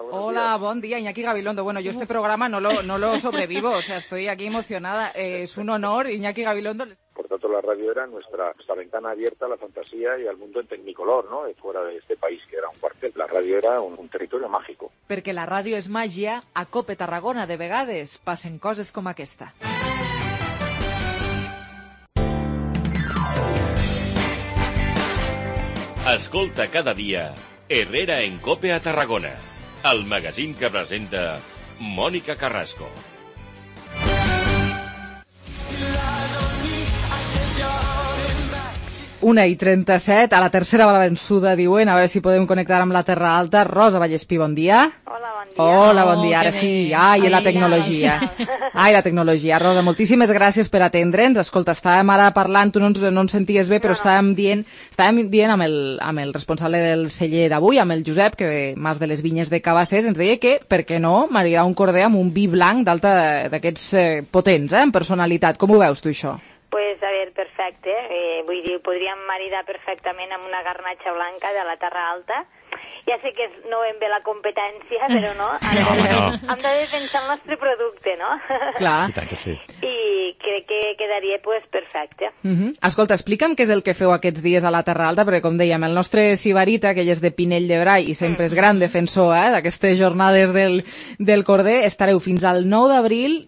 Buen día, Iñaki Gabilondo. Bueno, yo este programa no lo sobrevivo, o sea, estoy aquí emocionada. Es un honor, Iñaki Gabilondo. Por tanto, la radio era nuestra ventana abierta a la fantasía y al mundo en tecnicolor, ¿no? Fuera de este país, que era un cuartel. La radio era un territorio mágico. Perquè la ràdio és màgia, a Cope Tarragona de vegades passen coses com aquesta. Escolta cada dia Herrera en Cope a Tarragona, el magazín que presenta Mònica Carrasco. 1:37, a la tercera va la vençuda, diuen, a veure si podem connectar amb la Terra Alta. Rosa Vallespí, bon dia. Hola, bon dia. Hola, bon dia, ara sí. Ai, la tecnologia. Ai, la tecnologia. Rosa, moltíssimes gràcies per atendre'ns. Escolta, estàvem ara parlant, tu no ens senties bé, però estàvem dient amb el responsable del celler d'avui, amb el Josep, que Mas de les Vinyes de Cabassers, ens deia que, per què no, maridar un Corder amb un vi blanc d'alta d'aquests potents, en personalitat. Com ho veus tu, això? Pues, a ver, perfecte. Vull dir, podríem maridar perfectament amb una garnatxa blanca de la Terra Alta. Ja sé que no ben bé la competència, però no. Hem de defensar el nostre producte, no? Clar. I tant que sí. I crec que quedaria pues, perfecte. Escolta, explica'm què és el que feu aquests dies a la Terra Alta, perquè com dèiem, el nostre Sibarita, que ell és de Pinell de Brai i sempre és gran defensor d'aquestes jornades del Corder, estareu fins al 9 d'abril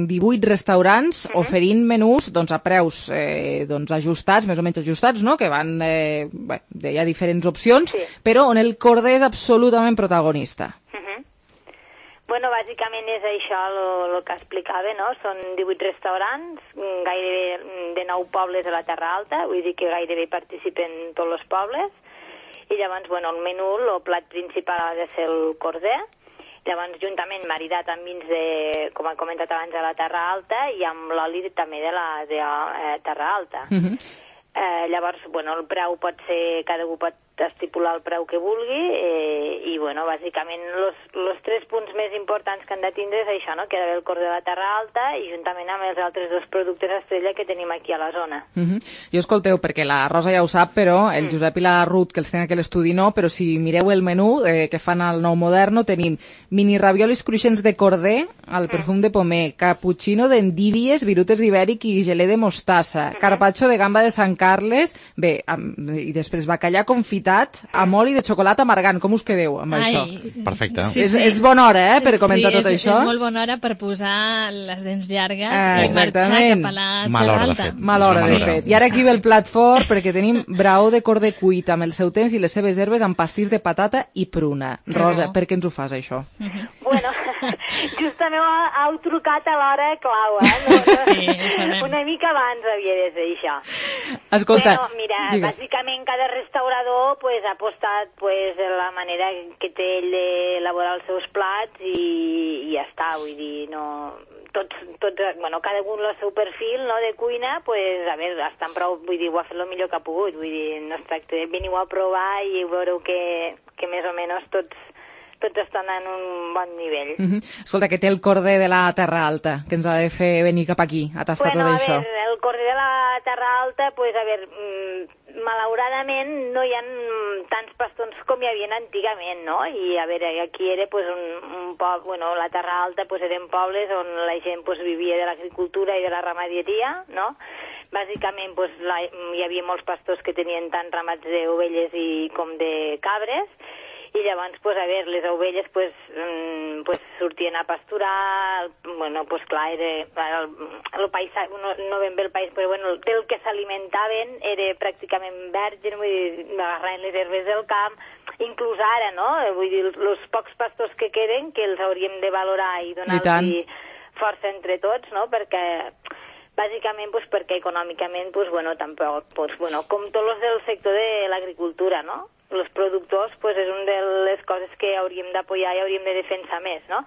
18 restaurants oferint menús a preus ajustats, més o menys ajustats, no? Que van, hi ha diferents opcions, però on el Corder és absolutament protagonista. Bueno, bàsicament és això el que explicava, no? Són 18 restaurants, gairebé de 9 pobles de la Terra Alta, vull dir que gairebé participen tots els pobles, i llavors, bueno, el menú, el plat principal ha de ser el corder, llavors juntament maridat amb vins de, com he comentat abans, de la Terra Alta i amb l'oli també de la Terra Alta. Llavors, bueno, el preu pot ser, cada un pot estipular el preu que vulgui i, bueno, bàsicament els 3 punts més importants que han de tindre és això, no?, que ha d'haver el corder de la Terra Alta i juntament amb els altres 2 productes estrella que tenim aquí a la zona. Jo escolteu, perquè la Rosa ja ho sap, però el Josep i la Ruth, que els tenen aquí a l'estudi, no, però si mireu el menú que fan al Nou Moderno, tenim mini raviolis cruixents de corder, al perfum de pomer, cappuccino d'endívies, virutes d'ibèric i gelé de mostassa, carpaccio de gamba de Sant Carles, bé, i després bacallà confitat amb oli de xocolata amargant. Com us quedeu amb això? Perfecte. És bona hora, per comentar tot això. Sí, és molt bona hora per posar les dents llargues i marxar cap a la Terra Alta. Mal hora, de fet. I ara aquí ve el plat fort, perquè tenim braó de corder cuit amb el seu temps i les seves herbes amb pastís de patata i pruna. Rosa, per què ens ho fas, això? Bueno, justament heu trucat a l'hora clau, Sí, ho sabem. Una mica abans havia de ser això. Escolta, bueno, mira, digues. bàsicament cada restaurador ha apostat de la manera que té ell d'elaborar els seus plats i ja està, vull dir, no... Tots, bueno, cada un el seu perfil, no, de cuina, a veure, estan prou, vull dir, ho ha fet el millor que ha pogut, vull dir, no es tracta de veniu a provar i veureu que més o menys tots estan en un bon nivell. Escolta, que té el corder de la Terra Alta, que ens ha de fer venir cap aquí a tastar tot això. Bueno, el corder de la Terra Alta, malauradament no hi ha tants pastons com hi havia antigament, no? I a veure, aquí era un poble, bueno, la Terra Alta eren pobles on la gent vivia de l'agricultura i de la ramaderia, no? Bàsicament hi havia molts pastors que tenien tant ramats d'ovelles com de cabres, i llavors, les ovelles sortien a pasturar, bueno, clar, el paisatge, no ben bé el país, però bueno, del que s'alimentaven era pràcticament verge, vull dir, agarraven les herbes del camp, inclús ara, no? Vull dir, els pocs pastors que queden, que els hauríem de valorar i donar-los força entre tots, no? Perquè bàsicament perquè econòmicament tampoc, com tots els del sector de l'agricultura, no? Els productors és una de les coses que hauríem d'apoyar i hauríem de defensar més, no?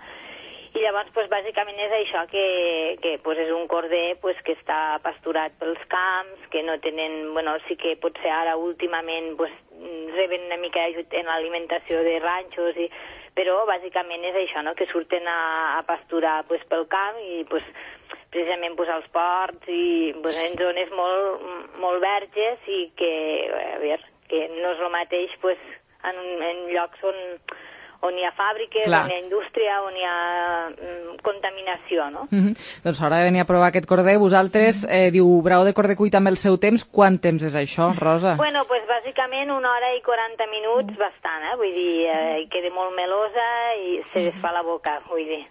I llavors, bàsicament és això, que és un corder que està pasturat pels camps, que no tenen, bueno, sí que potser ara últimament reben una mica d'ajut en l'alimentació de ranxos, però bàsicament és això, no? Que surten a pasturar pel camp i precisament als ports i en zones molt verges i que, a veure, que no és el mateix en llocs on hi ha fàbriques, on hi ha indústria, on hi ha contaminació, no? Doncs s'haurà de venir a provar aquest corder. Vosaltres, diu braó de corder cuit amb el seu temps. Quant temps és això, Rosa? Bueno, bàsicament 1 hora i 40 minuts, bastant, vull dir, queda molt melosa i se desfà la boca, vull dir.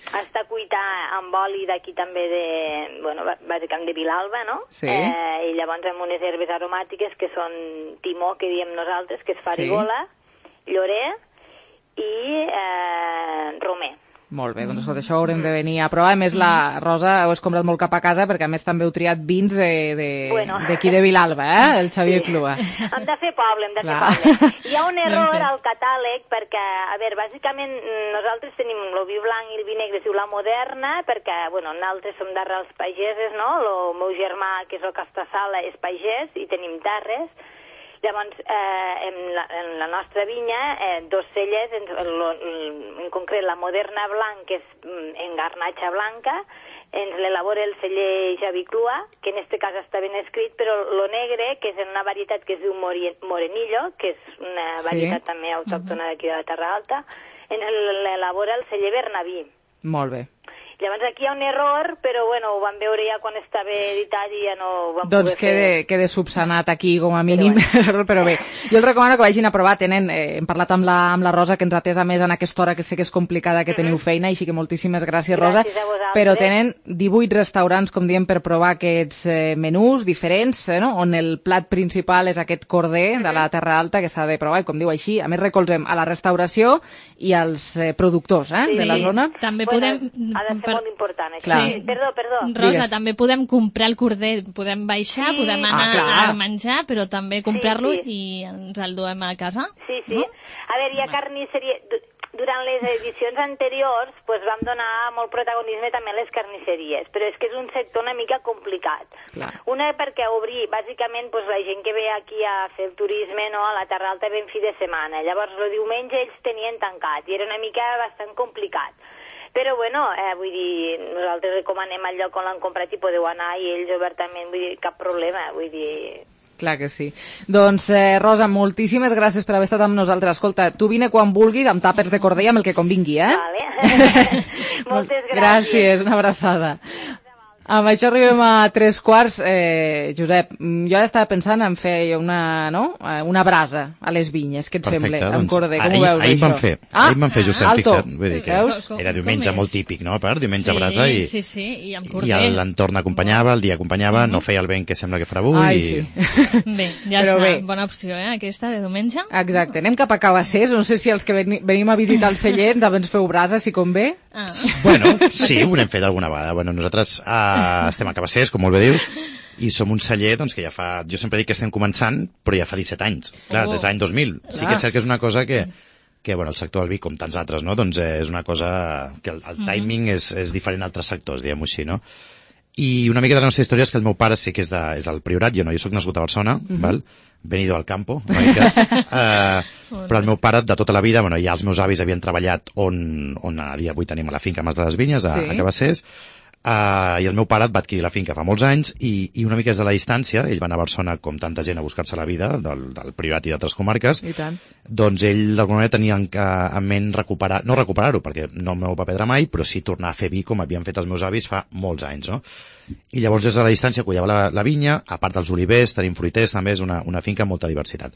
Està cuita amb oli d'aquí també bàsicament de Vilalba, no? Sí. I llavors amb unes herbes aromàtiques que són timó, que diem nosaltres, que és farigola, llorer i romer. Molt bé, doncs això ho haurem de venir a provar. A més, la Rosa ho has comprat molt cap a casa perquè a més també heu triat vins d'aquí de Vilalba, el Xavier Clua. Hem de fer poble, Hi ha un error al catàleg perquè, a veure, bàsicament nosaltres tenim el vi blanc i el vi negre, es diu la Moderna, perquè, nosaltres som d'arrels pageses, no? El meu germà, que és el Castassala, és pagès i tenim terres. Llavors, en la nostra vinya, 2 celles, en concret la Moderna Blanc, que és en garnatxa blanca, ens l'elabora el celler Xavi Clua, que en aquest cas està ben escrit, però lo negre, que és en una varietat que es diu Morenillo, que és una varietat també autòctona d'aquí de la Terra Alta, ens l'elabora el celler Bernaví. Molt bé. Llavors aquí hi ha un error, però bueno, ho vam veure ja quan estava editat i ja no ho vam doncs poder fer. quede subsanat aquí com a mínim, però bé, jo els recomano que vagin a provar, hem parlat amb la Rosa, que ens ha atès a més en aquesta hora, que sé que és complicada, que teniu feina, així que moltíssimes gràcies, Rosa, però tenen 18 restaurants, com diem, per provar aquests menús diferents, no? On el plat principal és aquest corder de la Terra Alta, que s'ha de provar, i com diu així, a més recolzem a la restauració i als productors de la zona. També podem... Ha de ser molt important, això. Clar. Perdó. Rosa, també podem comprar el corder, podem baixar, podem anar a menjar, però també comprar-lo i ens el duem a casa. Sí. No? A veure, hi ha carnisseria... Durant les edicions anteriors vam donar molt protagonisme també a les carnisseries, però és que és un sector una mica complicat. Clar. Una perquè obrir, bàsicament, la gent que ve aquí a fer el turisme, no, a la Terra Alta ben fi de setmana. Llavors, el diumenge ells tenien tancat i era una mica bastant complicat. Però, bueno, vull dir, nosaltres recomanem el lloc on l'han comprat i podeu anar i ells obertament, vull dir, cap problema, vull dir... Clar que sí. Doncs, Rosa, moltíssimes gràcies per haver estat amb nosaltres. Escolta, tu vine quan vulguis, amb tàpers de corder, amb el que convingui, Vale. Moltes gràcies. Gràcies, una abraçada. Amb això arribem a 3:15. Josep, jo ara estava pensant en fer una brasa a les vinyes, què et sembla? Amb corder, com ho veus, ahir això? Ahir vam fer just en alto. fixat. Vull dir que era diumenge molt típic, no? A part, diumenge a brasa i... Sí, i amb corder. I l'entorn acompanyava, el dia acompanyava, no feia el vent que sembla que farà avui. Ai, sí. Bé, ja Però està. bé. Bona opció, aquesta de diumenge. Exacte. Anem cap a Cabassers. No sé si els que venim a visitar el celler també ens feu brasa, si convé. Bueno, sí, ho hem fet alguna vegada. Bueno, nosaltres estem a Cabassers, com molt bé dius, i som un celler doncs, que ja fa... Jo sempre dic que estem començant, però ja fa 17 anys. Clar, des de l'any 2000. Sí que és cert que és una cosa que bueno, el sector del vi, com tants altres, no? Doncs és una cosa que el timing és diferent a altres sectors, diguem-ho així, no? I una mica de la nostra història és que el meu pare sí que és del Priorat, jo soc nascut a Barcelona, val? Venido al campo, en aquest cas, però el meu pare de tota la vida, ja els meus avis havien treballat on a dia avui tenim a la finca Mas de les Vinyes, a Cabassers, i el meu pare va adquirir la finca fa molts anys i una mica des de la distància, ell va anar a Barcelona com tanta gent a buscar-se la vida del Priorat i d'altres comarques, doncs ell d'alguna manera tenia en ment no recuperar-ho, perquè no m'ho va perdre mai, però sí tornar a fer vi com havien fet els meus avis fa molts anys, no? I llavors des de la distància cuidava la vinya, a part dels olivers, tenim fruiters, també és una finca amb molta diversitat.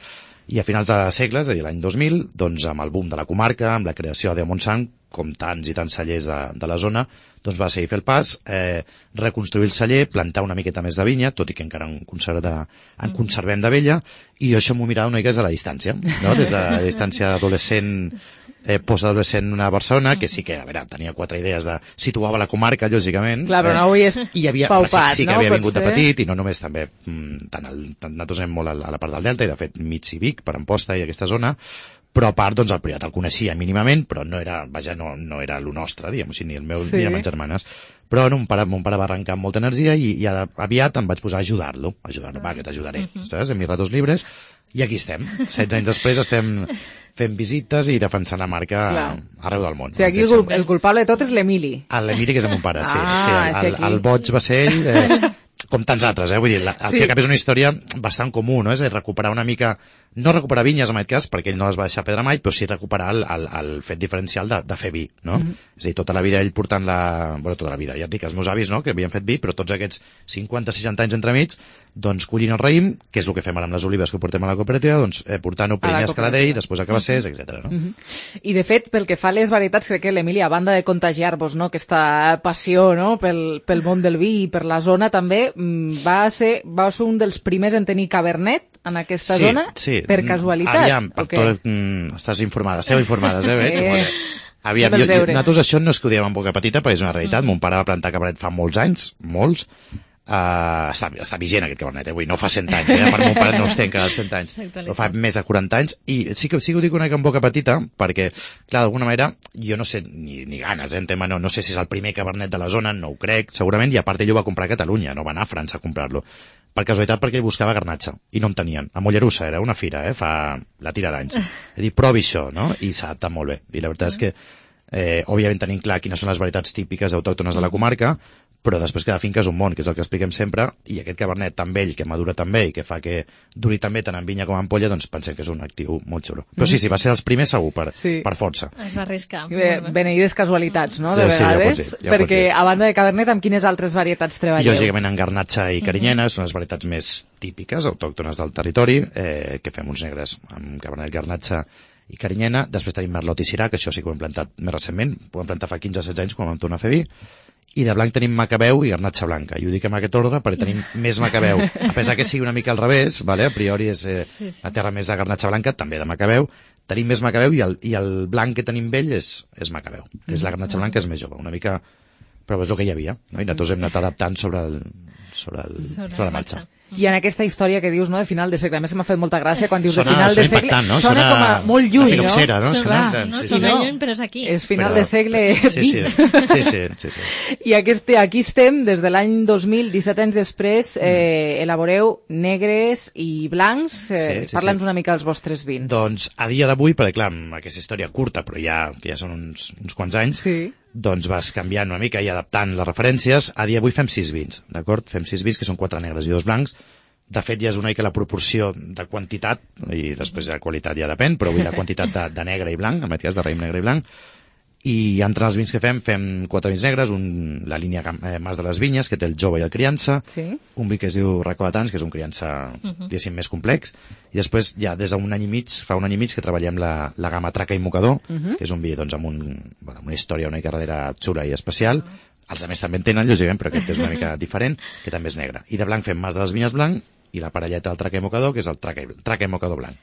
I a finals de segles, és a dir, l'any 2000, doncs amb el boom de la comarca, amb la creació de Montsant, com tants i tants cellers de la zona, doncs va seguir fer el pas, reconstruir el celler, plantar una miqueta més de vinya, tot i que encara en conservem de vella, i jo això m'ho mirava una mica des de la distància, no? Des de la distància d'adolescent, postadolescent a Barcelona, que sí que, a veure, tenia 4 idees de... Situava la comarca, lògicament. Clar, però no ho havies paupat, sí que havia vingut de petit, i no només també, nosaltres anem molt a la part del Delta, i de fet mig i Vic, per Amposta i aquesta zona, però a part, doncs, el Priorat el coneixia mínimament, però no era el nostre, diguem-ho així, ni el meu ni les meves germanes. Però mon pare va arrencar amb molta energia i aviat em vaig posar a ajudar-lo. Va, que t'ajudaré, saps? En mis ratos libres. I aquí estem. 16 anys després estem fent visites i defensant la marca arreu del món. O sigui, aquí el culpable de tot és l'Emili. L'Emili, que és el meu pare, sí. El boig va ser ell... Com tants altres, vull dir, el que acaba és una història bastant comú, no? És recuperar una mica, no recuperar vinyes en aquest cas, perquè ell no les va deixar perdre mai, però sí recuperar el fet diferencial de fer vi, no? És a dir, tota la vida ell portant tota la vida, ja et dic, els meus avis, no?, que havien fet vi, però tots aquests 50-60 anys entremig, doncs collint el raïm, que és el que fem ara amb les olives que portem a la cooperativa, doncs portant-ho primer a Escaladell, després a Cabassers, etc. No? I de fet, pel que fa a les varietats, crec que l'Emili, a banda de contagiar-vos, no?, aquesta passió, no?, pel món del vi i per la zona també, va ser un dels primers en tenir Cabernet en aquesta zona, per casualitat. Aviam, estàs informada, esteu informades, veig? Aviam, nosaltres això no és que ho diem en boca petita, però és una realitat. Mon pare va plantar Cabernet fa molts anys, molts. Està vigent aquest Cabernet, vull dir, no fa 100 anys, per mon pare no es té encara 100 anys, però fa més de 40 anys, i sí que ho dic una mica en boca petita, perquè, clar, d'alguna manera, jo no sé, ni ganes, en tema, no sé si és el primer Cabernet de la zona, no ho crec, segurament, i a part ell ho va comprar a Catalunya, no va anar a França a comprar-lo, per casualitat perquè ell buscava garnatxa, i no en tenien, a Mollerussa, era una fira, fa la tira d'anys, he dit, provi això, no?, i s'ha adaptat molt bé, i la veritat és que òbviament tenim clar quines són les varietats típiques autòctones de la comarca, però després cada finca és un món, que és el que expliquem sempre, i aquest cabernet tan vell, que madura tan bé i que fa que duri tan bé tant en vinya com en ampolla, doncs pensem que és un actiu molt xulo. Però sí, va ser els primers segur, per força. Es va arriscar. Beneïdes casualitats, no?, de Sí, vegades, ja pot perquè ser. a banda de cabernet, amb quines altres varietats treballeu? Lògicament en garnatxa i carinyena són les varietats més típiques, autòctones del territori, que fem uns negres amb cabernet, garnatxa i carinyena. Després tenim merlot i sirà, que això sí que ho hem plantat més recentment, ho vam plantar fa 15-16 anys quan vam tornar a fer vi. I de blanc tenim macabeu i garnatxa blanca. I ho dic en aquest ordre perquè tenim més macabeu. A pesar que sigui una mica al revés, vale? A priori és la terra més de garnatxa blanca, també de macabeu. Tenim més macabeu i el blanc que tenim vell és macabeu. És la garnatxa blanca és més jove, una mica... Però és el que hi havia, no? I nosaltres hem anat adaptant sobre la marxa. I en aquesta història que dius, no?, de final de segle, a més m'ha fet molta gràcia quan dius de Sona final de segle, impactant, no? Sona com a molt lluny, no? Fil·loxera, no? Sona lluny, però és aquí. És final de segle XX. Sí. I aquí estem, des de l'any 2000, 17 anys després, elaboreu negres i blancs. Parla'ns una mica dels vostres vins. Doncs a dia d'avui, perquè clar, amb aquesta història curta, però que ja són uns quants anys, doncs vas canviant una mica i adaptant les referències. A dia d'avui fem 6 vins, d'acord? Fem 6 vins, que són 4 negres i 2 blancs. De fet, ja és una mica la proporció de quantitat, i després de qualitat ja depèn, però vull dir la quantitat de negre i blanc, en aquest cas de raïm negre i blanc. I entre els vins que fem 4 vins negres, la línia Mas de les Vinyes, que té el jove i el criança, un vi que es diu Racó de Tants, que és un criança, diguéssim, més complex, i després ja des d'un any i mig, fa un any i mig que treballem la gamma Traca i Mocador, que és un vi doncs, amb una història una mica darrere xula i especial. Els altres també en tenen, lògicament, però aquest és una mica diferent, que també és negre. I de blanc fem Mas de les Vinyes blanc, i la parelleta del Traca i Mocador, que és el Traca i Mocador blanc.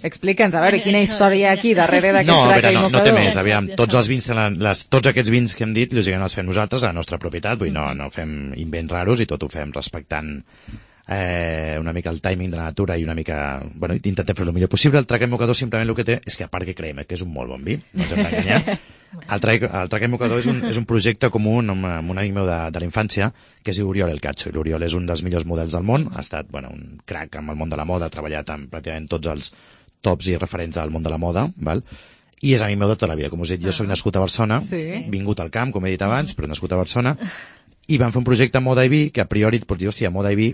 Explica'ns, a veure, quina història hi ha aquí darrere d'aquest Traca i Mocador. No té més, aviam, tots els vins, tots aquests vins que hem dit, lògicament els fem nosaltres a la nostra propietat, vull dir, no fem invents raros i tot ho fem respectant una mica el timing de la natura i una mica, bueno, intentem fer el millor possible. El Traca i Mocador simplement el que té és que a part que creiem que és un molt bon vi, no ens hem d'enganyar. El Traca i Mocador és un projecte comú amb un amic meu de la infància que es diu Oriol El Cacho, i l'Oriol és un dels millors models del món, ha estat un crac amb el món de la moda, ha treballat amb pràcticament tots els tops i referents del món de la moda, val? I és amic meu de tota la vida. Com us he dit, jo soc nascut a Barcelona, vingut al camp, com he dit abans, però nascut a Barcelona, i vam fer un projecte moda i vi que a priori et pots dir, hòstia, moda i vi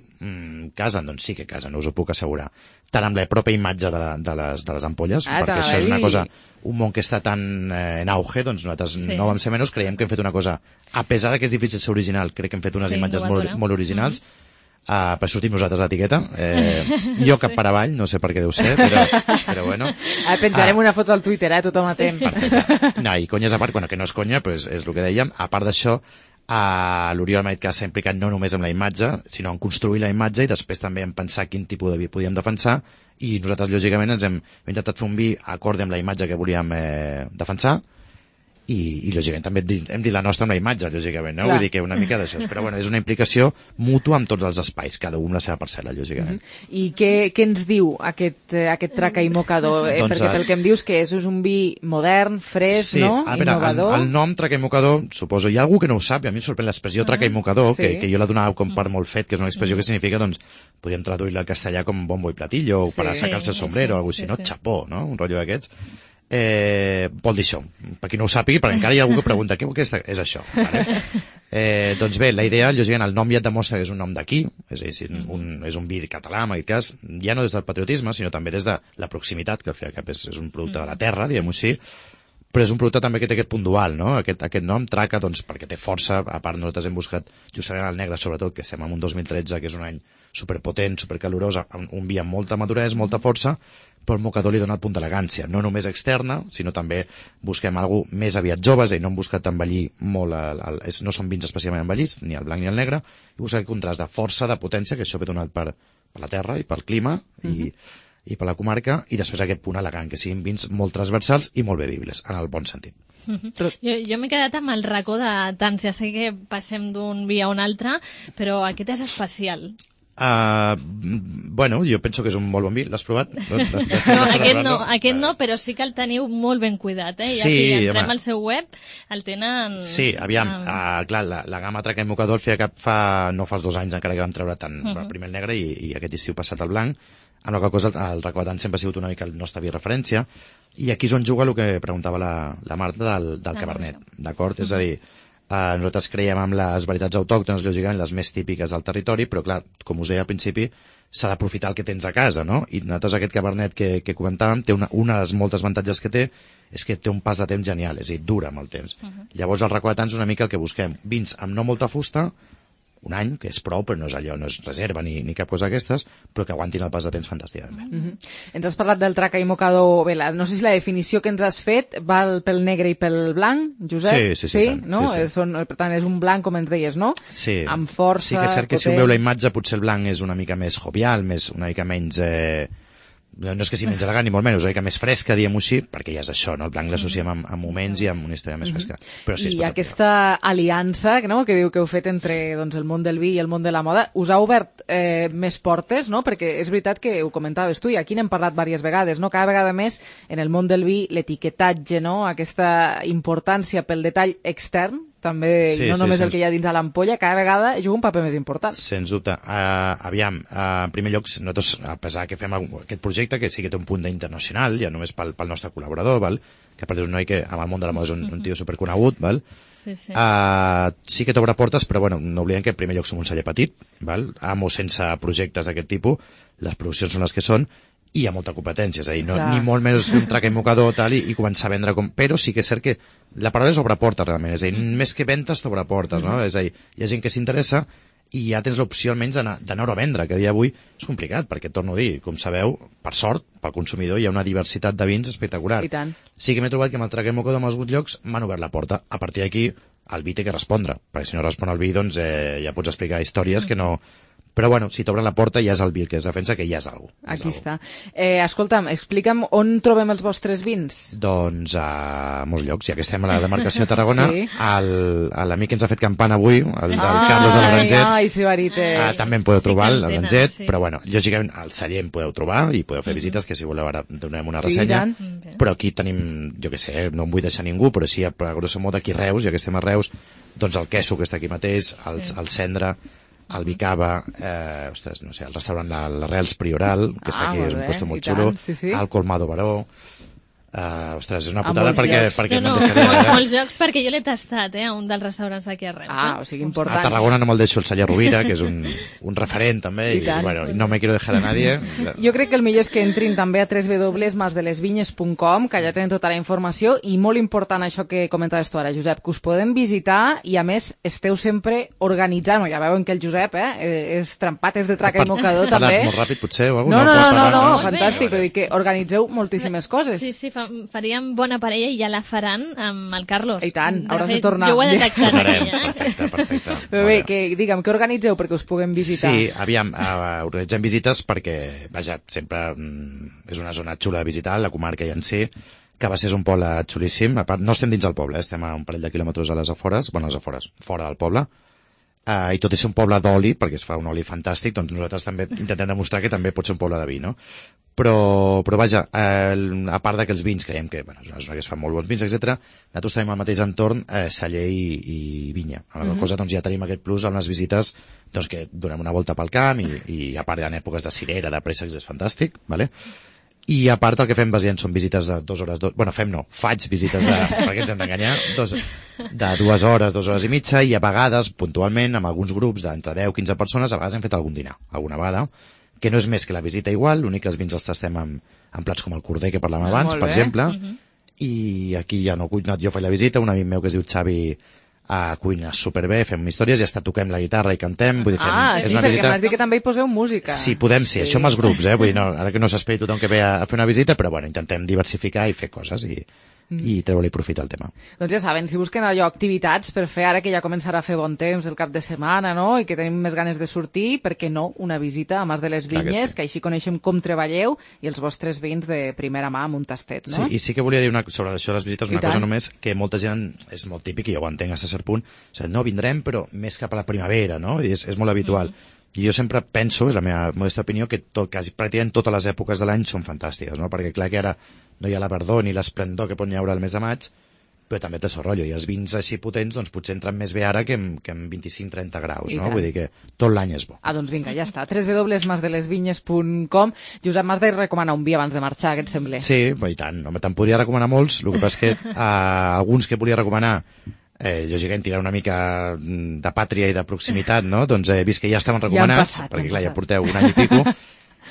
casen, doncs sí que casen, us ho puc assegurar, tant amb la pròpia imatge de les ampolles, perquè això és una cosa, un món que està tan en auge, doncs nosaltres no vam ser menys, creiem que hem fet una cosa, a pesar que és difícil ser original, crec que hem fet unes imatges molt originals, per sortir nosaltres a l'etiqueta, jo cap per avall, no sé per què deu ser, però bueno. Penjarem una foto al Twitter, tothom atent. No, i conyes a part, bueno, que no és conya, però és el que dèiem, a part d'això, l'Oriol m'ha dit que s'ha implicat no només amb la imatge, sinó en construir la imatge i després també en pensar quin tipus de vi podíem defensar, i nosaltres lògicament ens hem intentat fer un vi acord amb la imatge que volíem defensar, i lògicament també hem dit la nostra amb la imatge, lògicament, no? Vull dir que una mica d'això, però bueno, és una implicació mútua amb tots els espais, cada un la seva parcel·la, lògicament. I què ens diu aquest Traca i Mocador? Perquè pel que em dius que és un vi modern, fresc, no? Innovador. El nom Traca i Mocador, suposo, hi ha algú que no ho sap, i a mi em sorprèn l'expressió Traca i Mocador, que jo la donava com per molt fet, que és una expressió que significa, doncs, podríem traduir-la al castellà com bombo i platillo, o per assecar-se el sombrero, o alguna cosa així, no? Chapó, no? Un rotllo d'aquests. Vol dir això, per qui no ho sàpigui, perquè encara hi ha algú que pregunta què és això, vale? Doncs bé, la idea, lògicament, el nom ja et demostra que és un nom d'aquí, és a dir, és un vi català, en aquest cas, ja no des del patriotisme, sinó també des de la proximitat, que al fi i al cap és un producte de la terra, diguem-ho així, però és un producte també que té aquest punt dual, no? Aquest nom, Traca, doncs, perquè té força, a part nosaltres hem buscat justament el negre, sobretot, que estem en un 2013, que és un any superpotent, supercalorós, un vi amb molta maduresa, molta força, però el Mocador li dona el punt d'elegància, no només externa, sinó també busquem alguna més aviat jove, és a dir, no hem buscat envellir molt, no són vins especialment envellits, ni el blanc ni el negre, i busquem el contrast de força, de potència, que això ve donat per la terra i pel clima i per la comarca, i després aquest punt elegant, que siguin vins molt transversals i molt bevibles, en el bon sentit. Jo m'he quedat amb el Racó de Tants, ja sé que passem d'un vi a un altre, però aquest és especial. Bueno, jo penso que és un molt bon vi. L'has provat? No, aquest no, però sí que el teniu molt ben cuidat, ja si entrem al seu web, el tenen... Sí, aviam, clar, la gamma Traca i Mocador no fa els 2 anys encara que vam treure tant primer el negre i aquest estiu passat el blanc, amb la qual cosa el Racó de Tants sempre ha sigut una mica el nostre vi referència, i aquí és on juga el que preguntava la Marta del Cabernet, d'acord? És a dir, Nosaltres creiem en les varietats autòctones, lògicament les més típiques del territori, però clar, com us deia al principi, s'ha d'aprofitar el que tens a casa, no? I nosaltres aquest cabernet que comentàvem té una de les moltes avantatges que té és que té un pas de temps genial, és a dir, dura amb el temps. Llavors, els racó de tants és una mica el que busquem. Vins amb no molta fusta, un any, que és prou, però no és allò, no és reserva ni cap cosa d'aquestes, però que aguantin el pas de temps fantàsticament bé. Ens has parlat del traca i mocador, bé, no sé si la definició que ens has fet val pel negre i pel blanc, Josep? Sí, no? sí. Per tant, és un blanc, com ens deies, no? Sí. Amb força... Sí que és cert que si ho veu la imatge, potser el blanc és una mica més jovial, una mica menys... no és que sigui menys elegant ni molt menys, una mica més fresca, diguem-ho així, perquè ja és això, no? El blanc l'associem amb moments i amb una història més fresca. Però sí, I aquesta aliança, no?, que diu que heu fet entre el món del vi i el món de la moda, us ha obert més portes, no? Perquè és veritat que ho comentaves tu, i aquí n'hem parlat diverses vegades, no? Cada vegada més en el món del vi l'etiquetatge, no?, aquesta importància pel detall extern, també, no només el que hi ha dins a l'ampolla, cada vegada juga un paper més important. Sens dubte. Aviam, en primer lloc, nosaltres, a pesar que fem aquest projecte, que sí que té un punt d'internacional, ja només pel nostre col·laborador, val? Que a part és un noi que amb el món de la moda és un tio superconegut, val? Sí que t'obre portes, però bueno, no oblidem que en primer lloc som un celler petit, val? Amb o sense projectes d'aquest tipus, les produccions són les que són, i hi ha molta competència, és a dir, ni molt menys fer un traca i mocador tal, i començar a vendre però sí que és cert que la paraula és obre portes realment, és a dir, més que ventes t'obre portes, no? És a dir, hi ha gent que s'interessa i ja tens l'opció almenys d'anar-ho a vendre, que a dia d'avui és complicat, perquè torno a dir, com sabeu, per sort, pel consumidor hi ha una diversitat de vins espectacular. I tant. Sí que m'he trobat que amb el traca i mocador en alguns llocs m'han obert la porta. A partir d'aquí el vi té que respondre, perquè si no respon el vi, doncs ja pots explicar històries que no... Però bueno, si t'obren la porta ja és el vi el que es defensa, que ja és algú. Aquí està. Escolta'm, explica'm on trobem els vostres vins. Doncs a molts llocs, ja que estem a la demarcació de Tarragona, l'amic que ens ha fet campana avui, el Carlos de l'Oranget, Ai, sí, veritat. també em podeu trobar a l'Oranget, però bueno, lògicament al celler em podeu trobar i podeu fer visites, que si voleu ara donem una ressenya, però aquí tenim, jo què sé, no em vull deixar ningú, però sí, a grosso modo aquí a Reus, ja que estem a Reus, doncs el Queso, que està aquí mateix, el Cendra, el Vicava, no sé, el restaurant l'Arrels Prioral, que està aquí, és un lloc molt xulo, el Colmado Baró, ostres, és una putada perquè no em deixaria... Molts jocs, perquè jo l'he tastat, a un dels restaurants d'aquí a Reus. O sigui, important. A Tarragona no me'l deixo el celler Rovira, que és un referent també, i bueno, no me quiero dejar a nadie. Jo crec que el millor és que entrin també a www.masdelesvinyes.com, que allà tenen tota la informació, i molt important això que comentaves tu ara, Josep, que us podem visitar i a més esteu sempre organitzant, ja veuen que el Josep és trempat, és de traca i mocador també. Molt ràpid potser o alguna No, fantàstic, vull dir que organitzeu moltíssimes coses. Sí, faríem bona parella i ja la faran amb el Carlos. I tant, hauràs de tornar. Jo ho he detectat aquí, Perfecte. Però bé, digue'm, què organitzeu perquè us puguem visitar? Sí, aviam, organitzem visites perquè, vaja, sempre és una zona xula de visitar, la comarca ja en si, que va ser un poble xulíssim. A part, no estem dins del poble, estem a un parell de quilòmetres a les afores, fora del poble, i tot i ser un poble d'oli, perquè es fa un oli fantàstic, doncs nosaltres també intentem demostrar que també pot ser un poble de vi, no? Però vaja, a part que els vins creiem que és una zona que es fan molt bons vins, etc. Nosaltres tenim al mateix entorn celler i vinya. A la cosa doncs ja tenim aquest plus amb les visites, doncs que donem una volta pel camp i a part en èpoques de cirera, de préssecs, és fantàstic, vale? I a part el que fem bàsicament són visites de 2 hores, faig visites perquè ens hem d'enganyar, de 2 hores, 2 hores i mitja, i a vegades, puntualment, amb alguns grups d'entre 10-15 persones, a vegades hem fet algun dinar, alguna vegada, que no és més que la visita igual, l'únic que els vins els tastem amb plats com el corder que parlàvem abans, per exemple, i aquí ja no cuino, jo faig la visita, un amic meu que es diu Xavi cuina superbé, fem històries i hasta toquem la guitarra i cantem, vull dir, sí, perquè m'has dit que també hi poseu música. Sí, podem ser, això amb els grups, vull dir, ara que no s'esperi tothom que ve a fer una visita, però bueno, intentem diversificar i fer coses i treure-li profit al tema. Doncs ja saben, si busquen allò activitats per fer ara que ja començarà a fer bon temps el cap de setmana, no?, i que tenim més ganes de sortir, per què no una visita a Mas de les Vinyes, que així coneixem com treballeu i els vostres vins de primera mà amb un tastet, no? Sí, i sí que volia dir sobre això de les visites una cosa només, que molta gent, és molt típic i jo ho entenc a cert punt, no, vindrem però més cap a la primavera, no?, i és molt habitual. I jo sempre penso, és la meva modesta opinió, que quasi pràcticament totes les èpoques de l'any són fantàstiques, no? Perquè clar que ara no hi ha la verdor ni l'esplendor que pot hi haure al mes de maig, però també té el rotllo, i els vins així potents doncs potser entren més bé ara que en 25-30 graus, no? Vull dir que tot l'any és bo. Doncs vinga, ja està, www.masdelesvinyes.com. Josep, m'has de recomanar un vi abans de marxar, què et sembla? Sí, i tant, home, te'n podria recomanar molts, el que passa és que alguns que volia recomanar lògicament tirar una mica de pàtria i de proximitat, no? Doncs he vist que ja estaven recomanats, perquè clar, ja porteu un any i pico,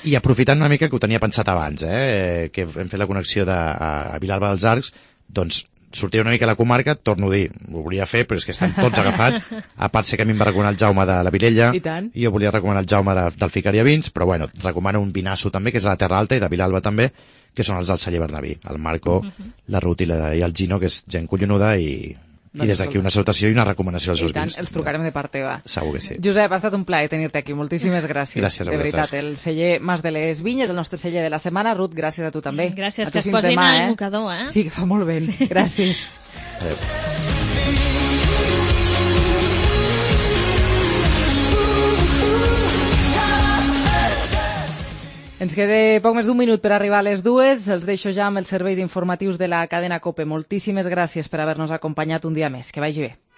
i aprofitant una mica que ho tenia pensat abans, que hem fet la connexió a Vilalba dels Arcs, doncs sortia una mica a la comarca, torno a dir, ho volia fer, però és que estan tots agafats, a part sé que a mi em va recomanar el Jaume de la Vilella, i jo volia recomanar el Jaume del Ficaria Vins, però bueno, recomano un vinasso també, que és de la Terra Alta i de Vilalba també, que són els del celler Bernabí, el Marco, la Ruth i el Gino, que és gent collonuda, i des d'aquí una salutació i una recomanació als seus vins. Els trucarem de part teva. Segur que sí. Josep, ha estat un plaer tenir-te aquí. Moltíssimes gràcies. Gràcies a de veritat, vosaltres. el celler Mas de les Vinyes, el nostre celler de la setmana. Ruth, gràcies a tu també. Gràcies, a que es posin al mocador, Sí, que fa molt bé. Sí. Gràcies. Adéu. Ens queda poc més d'un minut per arribar a les 2. Els deixo ja amb els serveis informatius de la cadena COPE. Moltíssimes gràcies per haver-nos acompanyat un dia més. Que vagi bé.